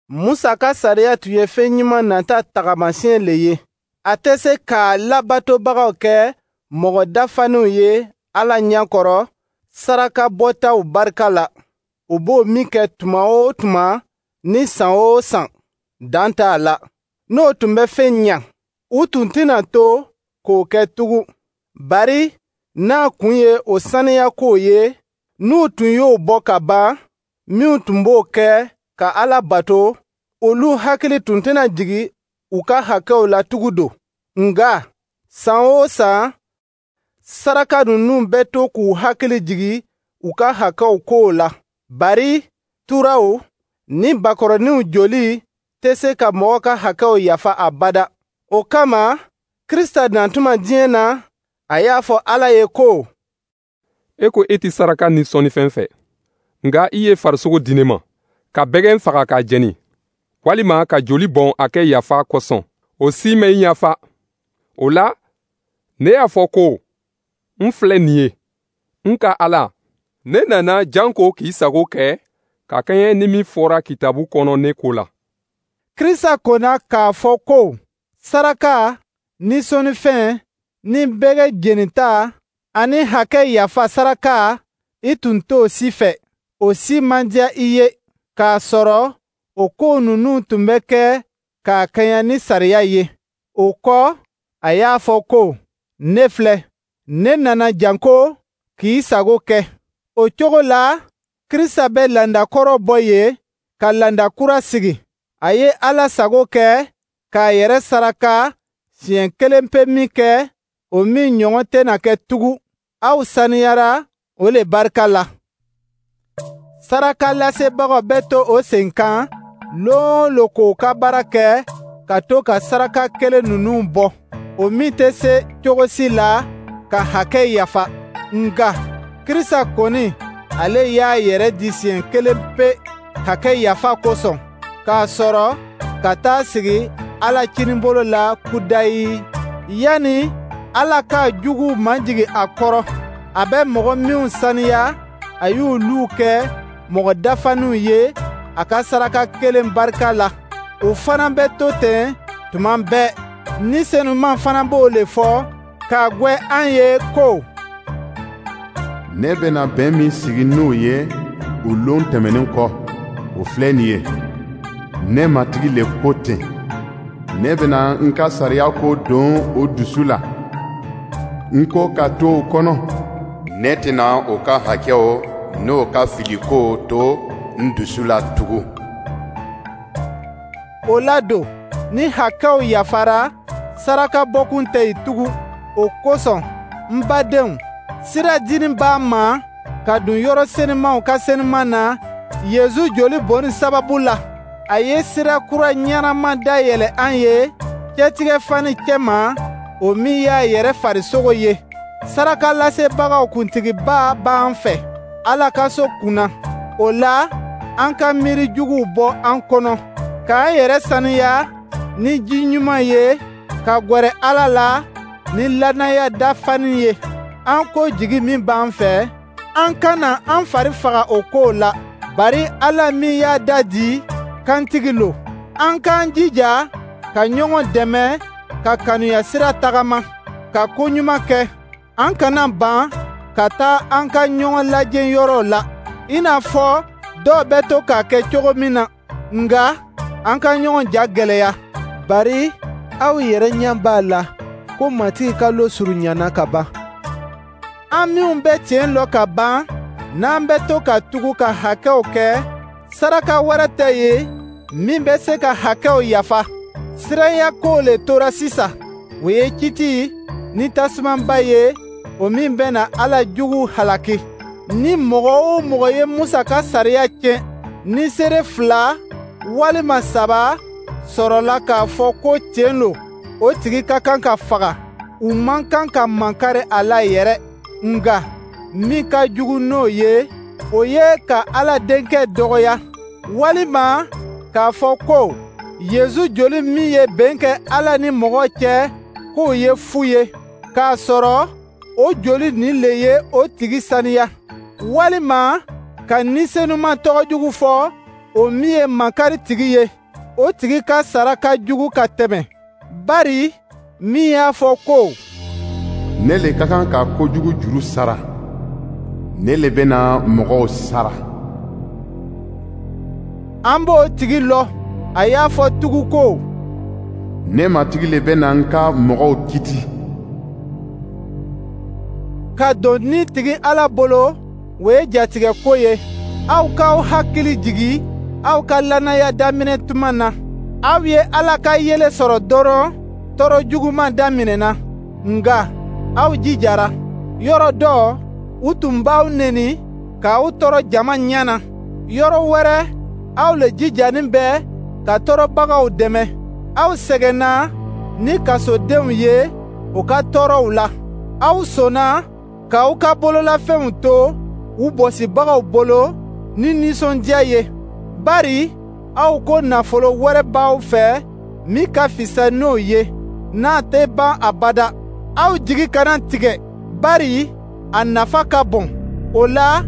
Musa ka sariya tun ye fɛn ɲuman nata tagamasiyɛn le ye. A tɛ se k'a labatobagaw kɛ mɔgɔ dafaninw ye Ala ɲɛkɔrɔ saraka bɔtaw barika la. U b'o min kɛ tuma o tuma ni san o san, dan t'a la. N'o tun bɛ fɛn ɲa, u tun tɛna to k'o kɛ tugun. Bari n'a kun ye o saniya kow ye, n'u tun y'o bɔ ka ban, minw tun b'o kɛ ka Ala bato, olu hakili tun tɛna jigin u ka hakɛw la tugun don. Nka san o san, saraka ninnu bɛ to k'u hakili jigin u ka hakɛw kow la. Bari turaw ni bakɔrɔninw joli tɛ se ka mɔgɔ ka hakɛw yafa abada. O kama, Krista natuma diɲɛ na, a y'a fɔ Ala ye ko: E ko e tɛ saraka ni sɔnnifɛn fɛ, nka i ye farisogo di ne ma, ka bɛgɛn faga k'a jeni, walima ka joli bɔn a kɛ yafa kosɔn, o si ma i yafa. O la, ne y'a fɔ ko: N filɛ nin ye, n ka Ala, ne nana janko k'i sago kɛ, ka kɛɲɛ ni min fɔra kitabu kɔnɔ ne ko la. Krista kɔnna k'a fɔ ko saraka ni sɔnnifɛn ni bɛgɛ jenita ani hakɛ yafa saraka, i tun t'o si fɛ. O si man diya i ye, k'a sɔrɔ o ko ninnu tun bɛ kɛ k'a kɛɲɛ ni sariya ye. O kɔ, a y'a fɔ ko: Ne filɛ, ne nana janko k'i sago kɛ. O cogo la, Krista bɛ laada kɔrɔ bɔ yen ka laada kura sigi. A ye Ala sago kɛ k'a yɛrɛ saraka siɲɛ kelenpe min kɛ, o min ɲɔgɔn tɛna kɛ tugun. Aw saniyara o le barika la. Sarakalasebagaw bɛ to o sen kan lon o lon k'o ka baara kɛ, ka to ka saraka kelen ninnu bɔ, o min tɛ se cogo si la ka hakɛ yafa. Nka Krista kɔni, ale y'a yɛrɛ di siɲɛ kelen pe hakɛ yafa kosɔn, k'a sɔrɔ ka taa sigi Ala kininbolo la kudayi, yanni Ala k'a juguw majigin a kɔrɔ. A bɛ mɔgɔ minw saniya, a y'olu kɛ mɔgɔ dafaninw ye a ka saraka kelen barika la. O fana bɛ to ten tuma bɛɛ. Ni Senuman fana b'o le fɔ k'a gwɛ an ye ko: Ne bɛna bɛn min sigi n'u ye o lon tɛmɛnen kɔ, o filɛ nin ye. Ne Matigi le ko ten. Ne bɛna n ka sariya ko don o dusu la. N ko ka to o kɔnɔ. Ne tɛna o ka hakɛw n'o ka filikow to n dusu la tugun. O la don, ni hakɛw yafara, saraka bɔkun tɛ yen tugun. O kosɔn, n badenw, sira dinin b'an ma ka don yɔrɔ senumaw ka senuman na Yezu joli bɔnni sababu la. A ye sira kura ɲɛnama dayɛlɛ an ye cɛtigɛ fani cɛma, o min y'a yɛrɛ farisogo ye. Sarakalasebagaw kuntigiba b'an fɛ Ala ka so kunna. O la, an ka miiri juguw bɔ an kɔnɔ, k'an yɛrɛ saniya ni ji ɲuman ye, ka gwɛrɛ Ala la ni lannaya dafani ye. An ko jigi min b'an fɛ, an kana an fari faga o kow la, bari Ala min y'a da di, kantigi lo. An k'an jija ka ɲɔgɔn dɛmɛ ka kanuya sira tagama, ka ko ɲuman kɛ. An kana ban ka taa an ka ɲɔgɔn lajɛ yɔrɔw la, i n'a fɔ dɔw bɛ to k'a kɛ cogo min na, nka an ka ɲɔgɔn ja gwɛlɛya. Bari aw yɛrɛ ɲɛ b'a la ko Matigi ka lon surunyana ka ban. An minw bɛ tiɲɛ lɔn ka ban, n'an bɛ to ka tugu ka hakɛw kɛ, saraka wɛrɛ tɛ yen min bɛ se ka hakɛw yafa. Siranya ko le tora sisan, o ye kiti ni tasumaba ye, o min bɛna Ala juguw halaki. Ni mɔgɔ o mɔgɔ ye Musa ka sariya tiɲɛ, ni seere fila walima saba sɔrɔla k'a fɔ ko tiɲɛ lo, o tigi ka kan ka faga. U man kan ka makari a la yɛrɛ. Nka min ka jugu n'o ye, o ye ka Ala Denkɛ dɔgɔya, walima k'a fɔ ko Yezu joli min ye bɛn kɛ Ala ni mɔgɔ cɛ, k'o ye fu ye, k'a sɔrɔ o joli nin le ye o tigi saniya, walima ka Ni Senuman tɔgɔ jugu fɔ, o min ye makari tigi ye, o tigi ka sara ka jugu ka tɛmɛ. Bari min y'a fɔ ko: Ne le ka kan ka kojugu juru sara, ne le bɛna mɔgɔw sara. An b'o tigi lɔ. A y'a fɔ tugun ko: Ne Matigi le bɛna n ka mɔgɔw kiti. Ka don ni tigi Ala bolo, o ye jatigɛ ko ye. Aw k'aw hakili jigi aw ka lannaya daminɛ tuma na. Aw ye Ala ka yelen sɔrɔ dɔrɔn, tɔɔrɔ juguman daminɛna. Nka aw jijara. Yɔrɔ dɔ, u tun b'aw neni k'aw tɔɔrɔ jama ɲɛ na. Yɔrɔ wɛrɛ, aw le jijanin bɛ ka tɔɔrɔbagaw dɛmɛ. Aw sɛgɛnna ni kasodenw ye u ka tɔɔrɔw la. Aw sɔnna k'aw ka bololafɛnw to u bɔsibagaw bolo ni nisɔndiya ye, bari aw ko nafolo wɛrɛ b'aw fɛ min ka fisa n'o ye, n'a tɛ ban abada. Aw jigi kana tigɛ, bari a nafa ka bon. O la,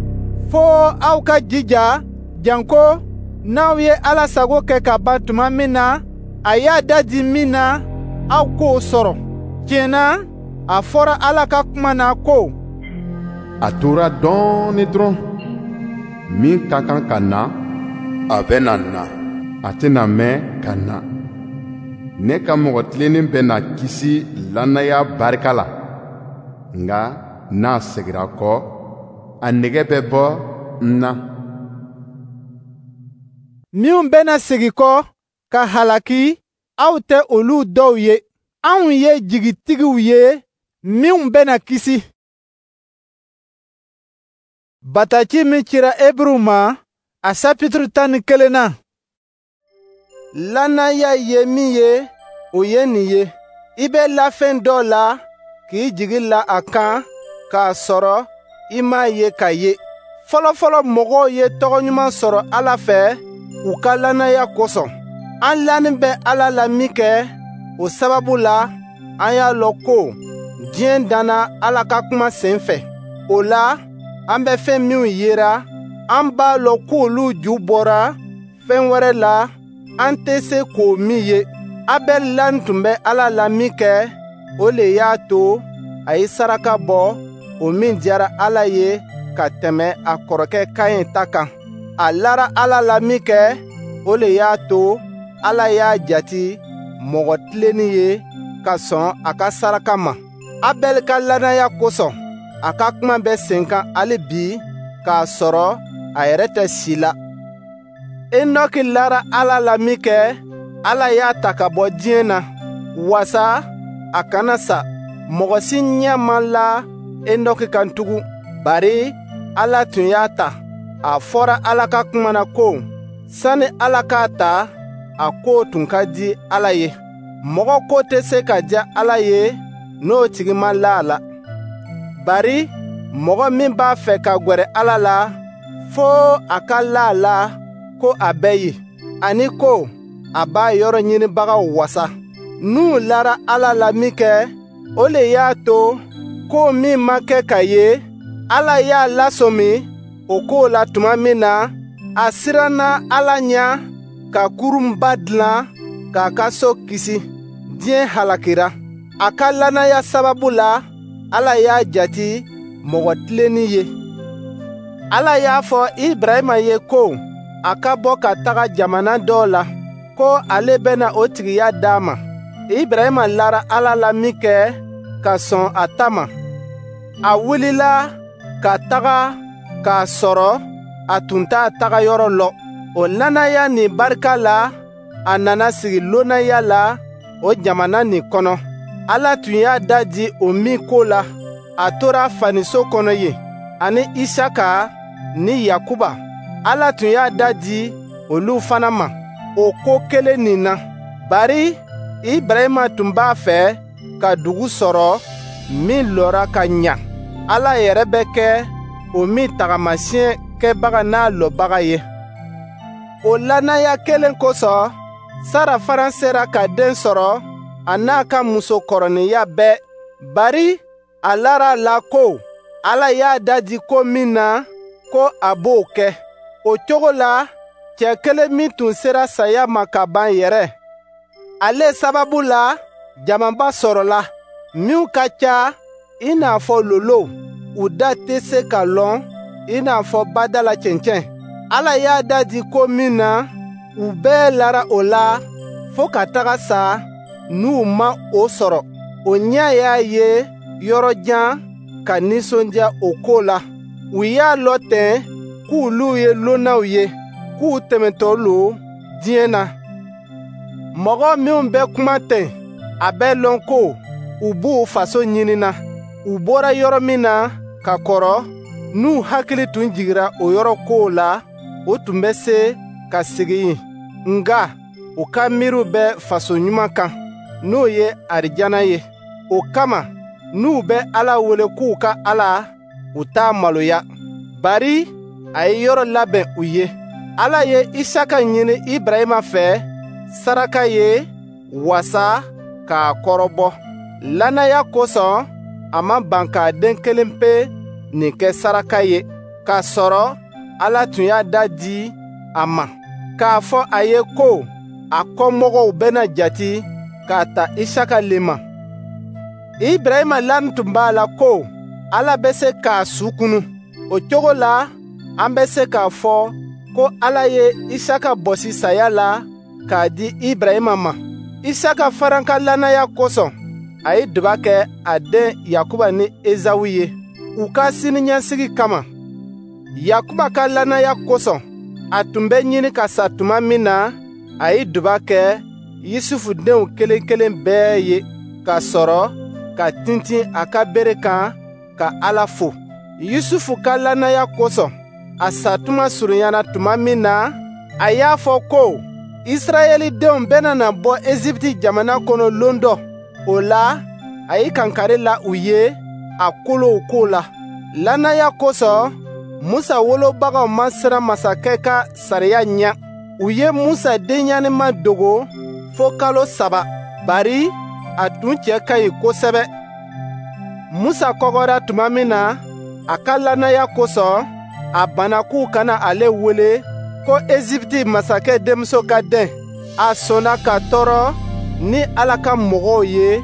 fo aw ka jija janko n'aw ye Ala sago kɛ ka ban tuma min na, a y'a da di min na, aw k'o sɔrɔ. Tiɲɛ na, a fɔra Ala ka kuma na ko: A tora dɔɔnin dɔrɔn, min ka kan ka na, a bɛna na, a tɛna mɛn ka na. Ne ka mɔgɔ tilennen bɛna kisi lannaya barika la, nka n'a segira kɔ, a nege bɛ bɔ n na. Minnu bɛna segin kɔ ka halaki, aw tɛ olu dɔw ye. Anw ye jigitigiw ye minnu bɛna kisi. Bataki min cira Eburuw ma, a sapituru tan ni kelenna. Lannaya ye min ye, o ye nin ye: i bɛ la fɛn dɔ la k'i jigi la a kan k'a sɔrɔ i m'a ye k'a ye. Fɔlɔfɔlɔ mɔgɔw ye tɔgɔ ɲuman sɔrɔ Ala fɛ u ka lannaya kosɔn. An lanin bɛ Ala la minkɛ, o sababu la, an y'a lɔn ko diɲɛ danna Ala ka kuma sen fɛ. O la, an bɛ fɛn minw yera, an b'a lɔn k'olu ju bɔra fɛn wɛrɛ la, an tɛ se k'o min ye. Abɛli lanin tun bɛ Ala la minkɛ, o le y'a to a ye saraka bɔ, o min diyara Ala ye ka tɛmɛ a kɔrɔkɛ Kaɲɛ ta kan. A lara Ala la minkɛ, o le y'a to Ala y'a jati mɔgɔ tilennen ye ka sɔn a ka saraka ma. Abɛli ka lannaya kosɔn, a ka kuma bɛ sen kan hali bi k'a sɔrɔ a yɛrɛ tɛ si la. Enɔki lara Ala la minkɛ, Ala y'a ta ka bɔ diɲɛ na, wasa a kana sa. Mɔgɔ si ɲɛ ma la Enɔki kan tugun, bari Ala tun y'a ta. A fɔra Ala ka kuma na ko, sani Ala k'a ta, a ko tun ka di Ala ye. Mɔgɔ ko tɛ se ka diya Ala ye n'o tigi ma la a la. Bari mɔgɔ min b'a fɛ ka gwɛrɛ Ala la, fo a ka la a la ko a bɛ yen, ani ko a b'a yɔrɔ ɲinibagaw wasa. N'u lara Ala la minkɛ, o le y'a to ko min ma kɛ ka ye, Ala y'a lasɔmi o ko la tuma min na, a siranna Ala ɲɛ ka kurunba dilan k'a ka so kisi. Diɲɛ halakira. A ka lannaya sababu la, Ala y'a jati mɔgɔ tilennen ye. Ala y'a fɔ Ibrahima ye ko a ka bɔ ka taga jamana dɔ la, ko ale bɛna o tigiya d'a ma. Ibrahima lara Ala la minkɛ ka sɔn a ta ma, a wulila ka taga k'a sɔrɔ a tun t'a taga yɔrɔ lɔn. O lannaya nin barika la, a nana sigi lonaya la o jamana nin kɔnɔ. Ala tun y'a da di o min ko la, a tora faniso kɔnɔ yen, ani Isaka ni Yakuba. Ala tun y'a da di olu fana ma o ko kelen nin na. Bari Ibrahima tun b'a fɛ ka dugu sɔrɔ min lɔra ka ɲa. Ala yɛrɛ bɛ kɛ o min tagamasiyɛn kɛbaga n'a lɔbaga ye. O lannaya kelen kosɔn, Sara fana sera ka den sɔrɔ a n'a ka musokɔrɔninya bɛɛ. Bari a lara a la ko Ala y'a da di ko min na, ko a b'o kɛ. O cogo la, cɛ kelen min tun sera saya ma ka ban yɛrɛ, ale sababu la, jamaba sɔrɔla, minw ka ca i n'a fɔ lolow, u da tɛ se ka lɔn i n'a fɔ bada la cɛncɛn. Ala y'a da di ko min na, u bɛɛ lara o la fo ka taga sa n'u ma o sɔrɔ. O ɲɛ y'a ye yɔrɔ jan ka nisɔndiya o ko la. U y'a lɔn ten k'olu ye lonnaw ye, k'u tɛmɛtɔ lo diɲɛ na. Mɔgɔ minw bɛ kuma ten, a bɛ lɔn ko u b'u faso ɲinina. U bɔra yɔrɔ min na ka kɔrɔ, n'u hakili tun jigira o yɔrɔ kow la, o tun bɛ se ka segin yen. Nka u ka miiriw bɛ faso ɲuman kan, n'o ye arijana ye. O kama, n'u bɛ Ala wele k'u ka Ala, u t'a maloya. Bari a ye yɔrɔ labɛn u ye. Ala ye Isaka ɲini Ibrahima fɛ saraka ye wasa k'a kɔrɔbɔ. Lannaya kosɔn, a ma ban k'a den kelen pe nin kɛ saraka ye, k'a sɔrɔ Ala tun y'a da di a ma, k'a fɔ a ye ko a kɔmɔgɔw bɛna jati k'a ta Isaka le ma. Ibrahima lanin tun b'a la ko Ala bɛ se k'a su kunun. O cogo la, an bɛ se k'a fɔ ko Ala ye Isaka bɔsi saya la k'a di Ibrahima ma. Isaka fana ka lannaya kosɔn, a ye duba kɛ a den Yakuba ni Ezawu ye, u ka siniɲɛsigi kama. Yakuba ka lannaya kosɔn, a tun bɛ ɲini ka sa tuma min na, a ye duba kɛ Yusufu denw kelen-kelen bɛɛ ye, ka sɔrɔ ka tintin a ka bere kan ka Ala fo. Yusufu ka lannaya kosɔn, a satuma surunyana tuma min na, a y'a fɔ ko Israɛlidenw bɛna na bɔ Ezipti jamana kɔnɔ lon dɔ. O la, a ye kankari la u ye a kolow ko la. Lannaya kosɔn, Musa wolobagaw ma siran masakɛ ka sariya ɲɛ. U ye Musa denɲɛninma dogo fo kalo saba, bari a tun cɛ ka ɲi kosɛbɛ. Musa kɔgɔra tuma min na, a ka lannaya kosɔn, a banna k'u kana ale wele ko Ezipti masakɛ denmuso ka den. A sɔnna ka tɔɔrɔ ni Ala ka mɔgɔw ye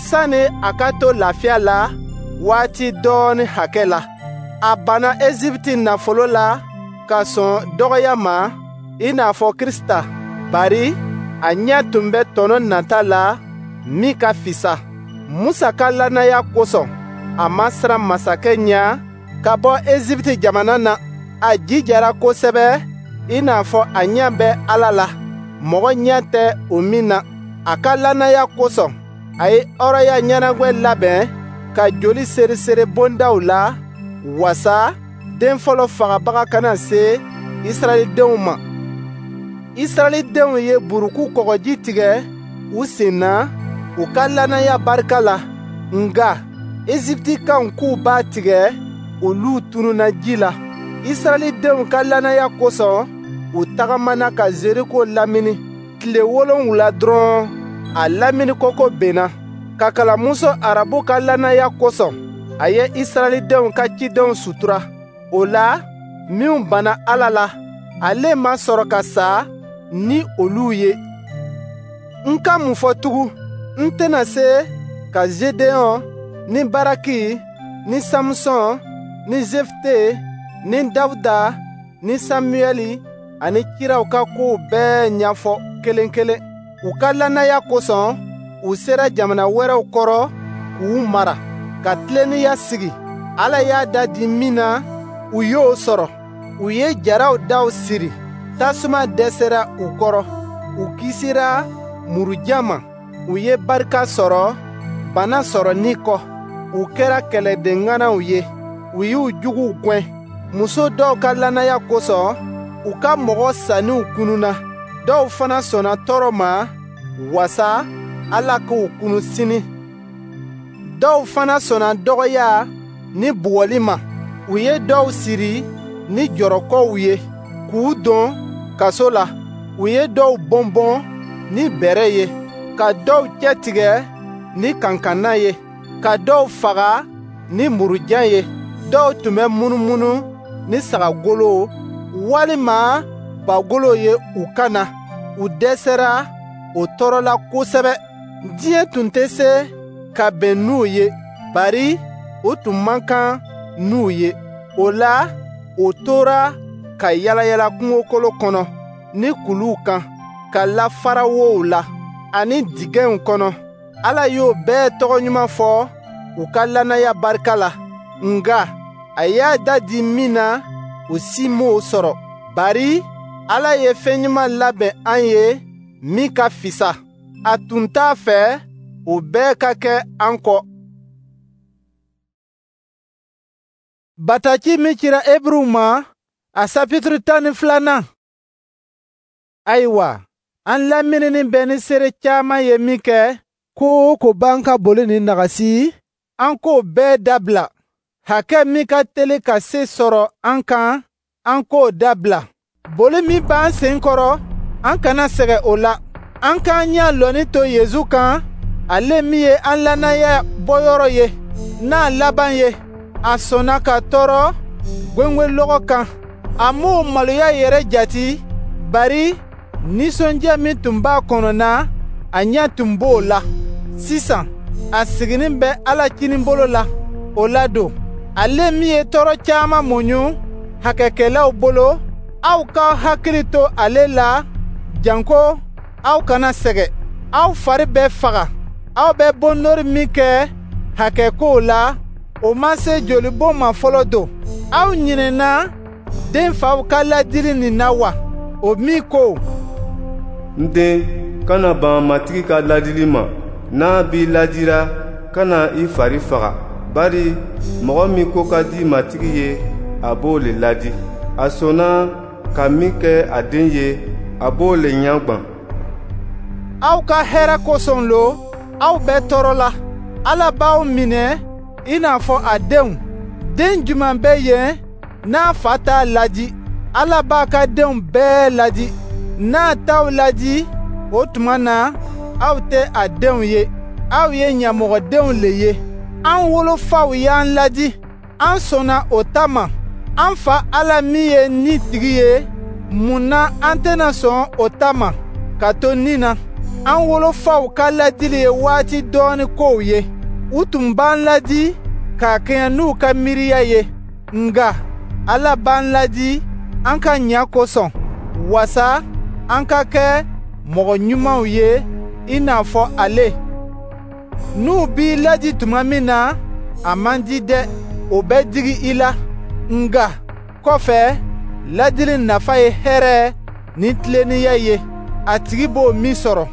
sani a ka to lafiya la waati dɔɔnin hakɛ la. A banna Ezipti nafolo la ka sɔn dɔgɔya ma i n'a fɔ Krisita, bari a ɲɛ tun bɛ tɔnɔ nata la min ka fisa. Musa ka lannaya kosɔn, a ma siran masakɛ ɲɛ ka bɔ Ezipti jamana na. A jijara kosɛbɛ i n'a fɔ a ɲɛ bɛ Ala la, mɔgɔ ɲɛ tɛ o min na. A ka lannaya kosɔn, a ye hɔrɔnya ɲɛnagwɛ labɛn ka joli seriseri bondaw la, wasa den fɔlɔ fagabaga kana se Israɛlidenw ma. Israɛlidenw ye buruku kɔgɔji tigɛ u sen na u ka lannaya barika la, nka Eziptikaw k'u b'a tigɛ, olu tununna ji la. Israɛlidenw ka lannaya kosɔn, u tagamana ka Zeriko lamini. Tile wolonwula dɔrɔn, a lamini koko benna. Kakalamuso Arabu ka lannaya kosɔn, a ye Israɛlidenw ka cidenw sutura. O la, minw banna Ala la, ale ma sɔrɔ ka sa ni olu ye. N ka mun fɔ tugun? N tɛna se ka Zedeɔn ni Baraki ni Samusɔn ni Zefite ni Dawuda ni Samuyɛli ani kiraw ka kow bɛɛ ɲɛfɔ kelen kelen. U ka lannaya kosɔn, u sera jamana wɛrɛw kɔrɔ k'u mara, ka tilennenya sigi. Ala y'a da di min na, u y'o sɔrɔ. U ye jaraw daw siri, tasuma dɛsɛra u kɔrɔ. U kisira murujan ma. U ye barika sɔrɔ bana sɔrɔni kɔ. U kɛra kɛlɛden ŋanaw ye. U y'u juguw gɛn. Muso dɔw ka lannaya kosɔn, u ka mɔgɔ saninw kununna. Dɔw fana sɔnna tɔɔrɔ ma, wasa Ala k'u kunu sini. Dɔw fana sɔnna dɔgɔya ni bugɔli ma. U ye dɔw siri ni jɔrɔkɔw ye, k'u don kaso la. U ye dɔw bɔnbɔn ni bɛrɛ ye, ka dɔw cɛtigɛ ni kankanna ye, ka dɔw faga ni murujan ye. Dɔw tun bɛ munumunu ni sagagolo walima bagolo ye u kan na. U dɛsɛra o tɔɔrɔ la kosɛbɛ. Diɲɛ tun tɛ se ka bɛn n'u ye, bari u tun man kan n'u ye. O la, u tora ka yalayala kungokolo kɔnɔ ni kuluw kan, ka lafara wow la ani dingɛw kɔnɔ. Ala y'o bɛɛ tɔgɔ ɲuman fɔ u ka lannaya barika la. Nka a y'a da di min na, u si m'o sɔrɔ, bari Ala ye fɛn ɲuman labɛn an ye min ka fisa. A tun t'a fɛ o bɛɛ ka kɛ an kɔ. Bataki min cira Eburuw ma, a sapituru tan ni filanan. Ayiwa, an laminini bɛ ni seere caman ye min kɛ, ko o ko b'an ka boli ni nagasi, an k'o bɛɛ dabila. Hakɛ min ka teli ka se sɔrɔ an kan, an k'o dabila. Boli min b'an sen kɔrɔ, an kana sɛgɛn o la. An k'an ɲɛ lɔnni to Yezu kan, ale min ye an lannaya bɔyɔrɔ ye, n'a laban ye. A sɔnna ka tɔɔrɔ gwengwenlɔgɔ kan. A m'o maloya yɛrɛ jati, bari nisɔndiya min tun b'a kɔnɔ na, a ɲɛ tun b'o la. Sisan, a siginin bɛ Ala kininbolo la. O la don, Ale min ye tɔɔrɔ caman muɲu hakɛkɛlaw bolo, aw k'aw hakili to ale la, janko aw kana sɛgɛn. Aw fari bɛ faga. Aw bɛ bonnori min kɛ hakɛkow la, o ma se jolibɔn ma fɔlɔ don. Aw ɲinɛna den faw ka ladili nin na wa? O min ko: N den, kana ban Matigi ka ladili ma. N'a b'i ladira, kana i fari faga. Bari mɔgɔ min ko ka di Matigi ye, a b'o le ladi. A sɔnna ka min kɛ a den ye, a b'o le ɲagwan. Aw ka hɛrɛ kosɔn lo, aw bɛ tɔɔrɔ la. Ala b'aw minɛ i n'a fɔ a denw. Den jumɛn bɛ yen n'a fa t'a ladi? Ala b'a ka denw bɛɛ ladi. N'a t'aw ladi, o tuma na aw tɛ a denw ye, aw ye ɲamɔgɔdenw le ye. An wolofaw y'an ladi, an sɔnna o ta ma. An fa Ala min ye ni tigi ye, mun na an tɛna sɔn o ta ma ka to ni na? An wolofaw ka ladili ye waati dɔɔni kow ye. U tun b'an ladi k'a kɛɲɛ n'u ka miiriya ye, nka Ala b'an ladi an ka ɲa kosɔn, wasa an ka kɛ mɔgɔ ɲumanw ye i n'a fɔ ale. N'u b'i ladi tuma min na, a man di dɛ, o bɛ digi i la. Nka kɔfɛ, ladili nafa ye hɛrɛ ni tilennenya ye, a tigi b'o min sɔrɔ.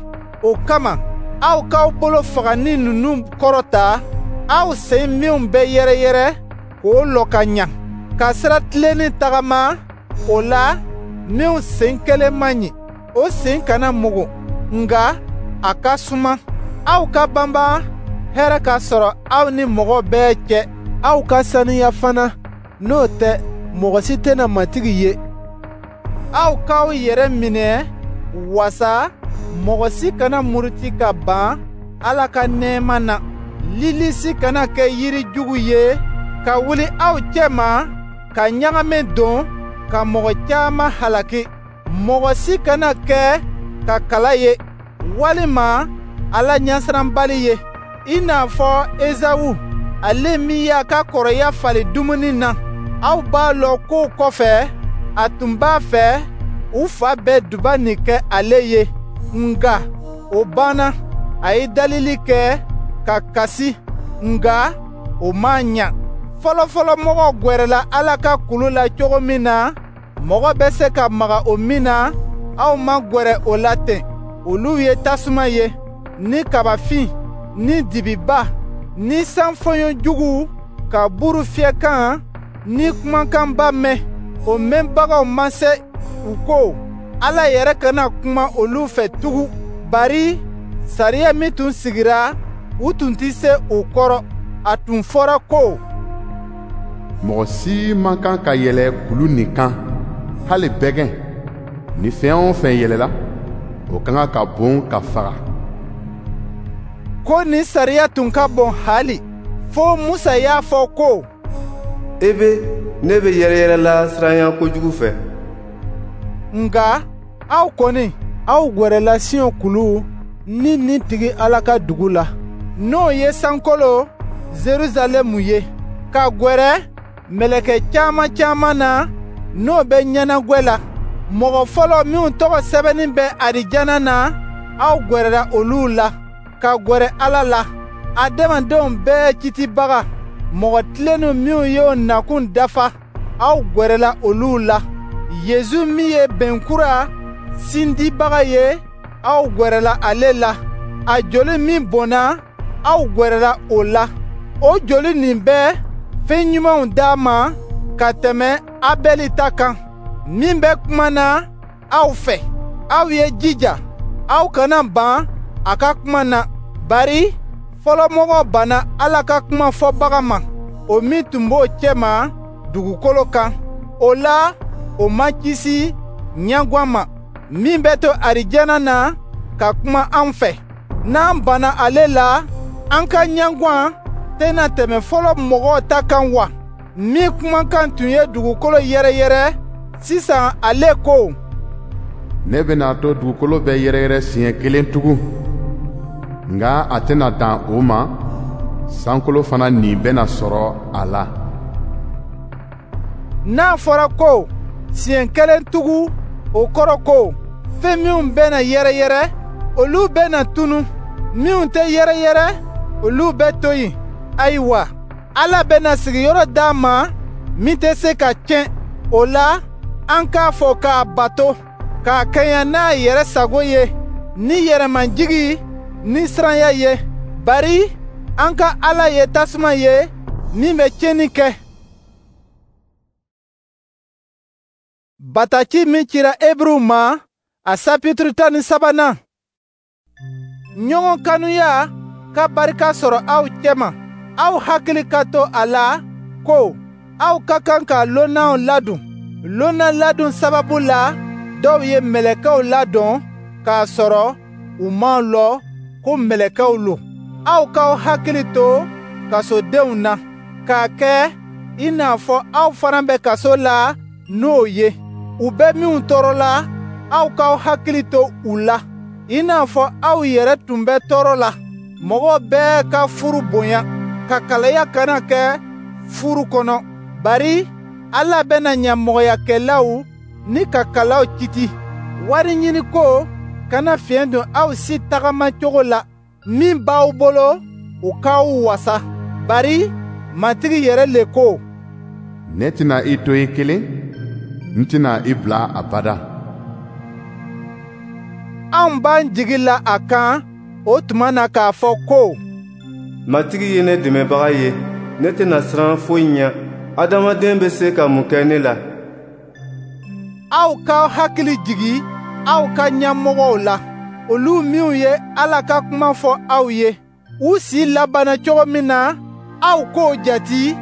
O kama, aw k'aw bolo fagani ninnu kɔrɔta, aw sen minw bɛ yɛrɛyɛrɛ k'o lɔ ka ɲa, ka sira tilennin tagama. O la, minw sen kelen man ɲi, o sen kana mugu, nka a ka suma. Aw ka banban hɛrɛ ka sɔrɔ aw ni mɔgɔ bɛɛ cɛ. Aw ka saniya fana, n'o tɛ mɔgɔ si tɛna Matigi ye. Aw k'aw yɛrɛ minɛ wasa mɔgɔ si kana muruti ka ban Ala ka nɛɛma na. Lilisi kana kɛ yiri jugu ye ka wuli aw cɛma ka ɲagami don ka mɔgɔ caman halaki. Mɔgɔ si kana kɛ ka kala ye, walima Ala ɲɛsiranbali ye, i n'a fɔ Ezawu, ale min y'a ka kɔrɔya falen dumuni na. Aw b'a lɔn k'o kɔfɛ, a tun b'a fɛ u fa bɛ duba nin kɛ ale ye, nka o banna. A ye dalili kɛ ka kasi, nka o m'a ɲa. Fɔlɔfɔlɔmɔgɔw gwɛrɛla Ala ka kulu la cogo min na, mɔgɔ bɛ se ka maga o min na, aw ma gwɛrɛ o la ten. Olu ye tasuma ye, ni kabafin, ni dibiba, ni sanfɔɲɔ jugu ka buru fiyɛkan ni kumakanba mɛn. O mɛnbagaw ma se u ko Ala yɛrɛ kana kuma olu fɛ tugun, bari sariya min tun sigira, u tun tɛ se o kɔrɔ. A tun fɔra ko: Mɔgɔ si man kan ka yɛlɛ kulu nin kan, hali bɛgɛn. Ni fɛn o fɛn yɛlɛla, o ka kan ka bon ka faga. Ko nin sariya tun ka bon haali, fo Musa y'a fɔ ko: E be ne bɛ yɛrɛyɛrɛla siranya kojugu fɛ. Nka aw kɔni, aw gwɛrɛla Siyon kulu ni nin tigi Ala ka dugu la, n'o ye sankolo Zeruzalɛmu ye, ka gwɛrɛ mɛlɛkɛ caman caman na, n'o bɛ ɲɛnagwɛ la. Mɔgɔ fɔlɔ minw tɔgɔ sɛbɛnnin bɛ arijana na, aw gwɛrɛla olu la, ka gwɛrɛ Ala la, adamadenw bɛɛ citibaga. Mɔgɔ tilennenw minw y'o nakun dafa, aw gwɛrɛla olu la. Yezu min ye bɛn kura sindibaga ye, aw gwɛrɛla ale la. A joli min bɔnna, aw gwɛrɛla o la. O joli nin bɛ fɛn ɲumanw d'a ma ka tɛmɛ Abɛli ta kan. Min bɛ kuma na aw fɛ, aw ye jija, aw kana ban a ka kuma na, bari fɔlɔmɔgɔw banna Ala ka kuma fɔbaga ma, o min tun b'o cɛma dugukolo kan. O la, o ma kisi ɲɛgwan ma, min bɛ to arijana na ka kuma an fɛ. N'an banna ale la, an ka ɲɛgwan tɛna tɛmɛ fɔlɔ mɔgɔw ta kan wa? Min kumakan tun ye dugukolo yɛrɛyɛrɛ, sisan ale ko: Ne bɛna to dugukolo bɛ yɛrɛyɛrɛ siɲɛ kelen tugun, nka a tɛna dan o ma, sankolo fana nin bɛna sɔrɔ a la. N'a fɔra ko siɲɛ kelen tugun, o kɔrɔ ko fɛn minnu bɛna yɛrɛyɛrɛ, olu bɛna tunu; minnu tɛ yɛrɛyɛrɛ, olu bɛ to yen. Ayiwa, Ala bɛna sigiyɔrɔ d'an ma min tɛ se ka tiɲɛ. O la, an k'a fɔ k'a bato, k'a kɛɲɛ n'a yɛrɛ sago ye, ni yɛrɛmajigi ni siranya ye. Bari an ka Ala ye tasuma ye min bɛ tiɲɛni kɛ. Bataki min cira Eburuw ma, a sapituru tan ni sabanan. Ɲɔgɔn kanuya ka barika sɔrɔ aw cɛma. Aw hakili ka to a la ko aw ka kan ka lonnaw ladon. Lonna ladon sababu la, dɔw ye mɛlɛkɛw ladon k'a sɔrɔ u m'a lɔn ko mɛlɛkɛw lo. Aw k'aw hakili to kasodenw na, k'a kɛ i n'a fɔ aw fana bɛ kaso la n'o ye. U bɛ minw tɔɔrɔ la, aw k'aw hakili to u la, i n'a fɔ aw yɛrɛ tun bɛ tɔɔrɔ la. Mɔgɔ bɛɛ ka furu bonya, ka kalaya kana kɛ furu kɔnɔ, bari Ala bɛna ɲamɔgɔyakɛlaw ni kakalaw kiti. Wari ɲini ko kana fiɲɛ don aw si tagama cogo la. Min b'aw bolo, o k'aw wasa. Bari Matigi yɛrɛ le ko: Ne tɛna i to i kelen, n tɛna i bila abada. Anw b'an jigi la a kan o tuma na k'a fɔ ko: Matigi ye ne dɛmɛbaga ye, ne tɛna siran foyi ɲɛ. Adamaden bɛ se ka mun kɛ ne la? Aw k'aw hakili jigi aw ka ɲɛmɔgɔw la, olu minw ye Ala ka kuma fɔ aw ye. U si labanna cogo min na, aw k'o jate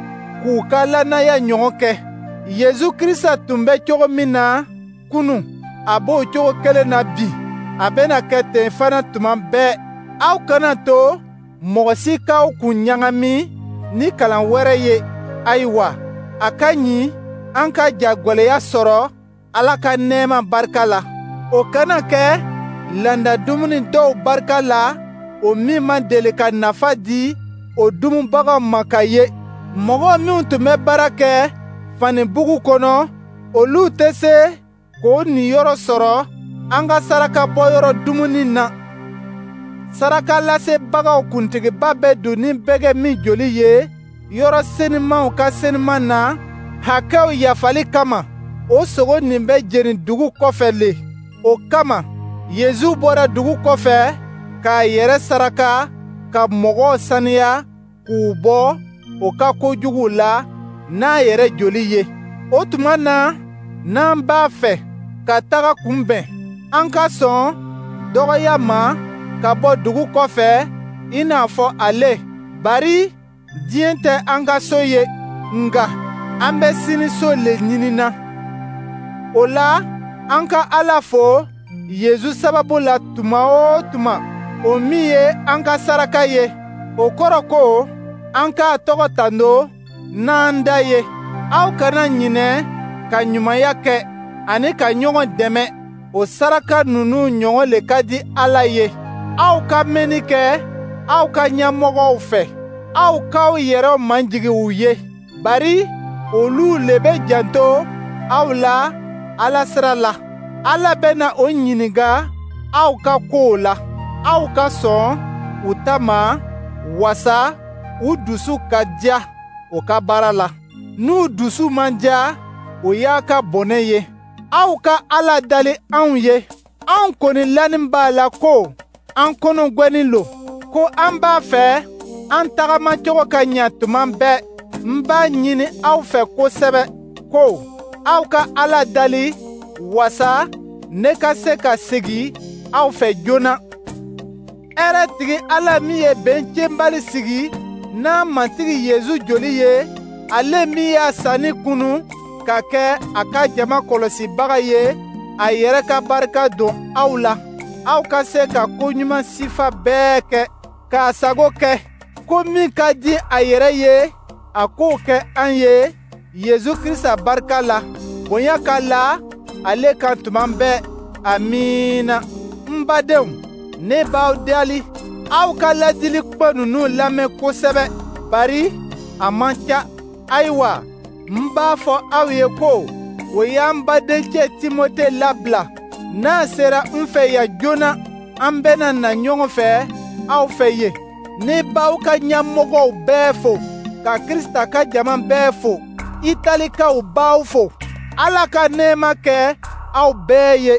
k'u ka lannaya ɲɔgɔn kɛ. Yezu Krisita tun bɛ cogo min na kunun, a b'o cogo kelen na bi. A bɛna kɛ ten fana tuma bɛɛ. Aw kana to mɔgɔ si k'aw kun ɲagami ni kalan wɛrɛ ye. Ayiwa, a ka ɲi an ka jagɛlɛya sɔrɔ Ala ka nɛɛma barika la. O kana kɛ landa dumuni dɔw barika la, o min ma deli ka nafa di o dumubagaw ma ka ye. Mɔgɔ minw tun bɛ baara kɛ fanibugu kɔnɔ, olu tɛ se k'o niyɔrɔ sɔrɔ an ka saraka bɔyɔrɔ dumuni na. Saraka lasebagaw kuntigiba bɛ don ni bɛgɛ min joli ye yɔrɔ senimanw ka seniman na hakɛw yafali kama, o sogo nin bɛ jeni dugu kɔfɛ le. O kama, Yezu bɔra dugu kɔfɛ k'a yɛrɛ saraka ka mɔgɔw saniya k'u bɔ o ka kojuguw la n'a yɛrɛ joli ye. O tuma na, n'an b'a fɛ ka taga kunbɛn, an ka sɔn dɔgɔya ma ka bɔ dugu kɔfɛ i n'a fɔ ale. Bari diɲɛ tɛ an ka so ye, nka an bɛ sini so le ɲinina. O la, an ka Ala fo Yezu sababu la tuma o tuma, o min ye an ka saraka ye. O kɔrɔ ko an k'a tɔgɔ tando n'an da ye. Aw kana ɲinɛ ka ɲumanya kɛ ani ka ɲɔgɔn dɛmɛ. O saraka ninnu ɲɔgɔn le ka di Ala ye. Aw ka mɛnni kɛ aw ka ɲɛmɔgɔw fɛ. Aw k'aw yɛrɛw majigin u ye, bari olu le bɛ janto aw la Ala sira la. Ala bɛna o ɲininka aw ka kow la. Aw ka sɔn u ta ma, wasa u dusu ka diya o ka baara la. N'u dusu man diya, o y'a ka bɔnɛ ye. Aw ka Ala dali anw ye. Anw kɔni lanin b'a la ko an kɔnɔgwɛnin lo, ko an b'a fɛ an tagamacogo ka ɲa tuma bɛɛ. N b'a ɲini aw fɛ kosɛbɛ ko aw ka Ala dali wasa ne ka se ka segin aw fɛ joona. Hɛrɛ tigi Ala min ye bɛn tiɲɛbali sigi n'a Matigi Yezu joli ye, ale min y'a sanni kunu ka kɛ a ka jama kɔlɔsibaga ye, a yɛrɛ ka barika don aw la. Aw ka se ka ko ɲuman sifa bɛɛ kɛ, k'a sago kɛ. Ko min ka di a yɛrɛ ye, a k'o kɛ an ye Yezu Krisita barika la. Bonya ka la ale kan tuma bɛɛ. Amiina. N badenw, ne b'aw dali, aw ka ladili kuma ninnu lamɛn kosɛbɛ, bari a man ca. Ayiwa, N b'a fɔ aw ye ko o y'an badencɛ Timote labila. N'a sera n fɛ yan joona, an bɛna na ɲɔgɔn fɛ aw fɛ yen. Ne b'aw ka ɲɛmɔgɔw bɛɛ fo, ka Krisita ka jama bɛɛ fo. Italikaw b'aw fo. Ala ka nɛɛma kɛ aw bɛɛ ye.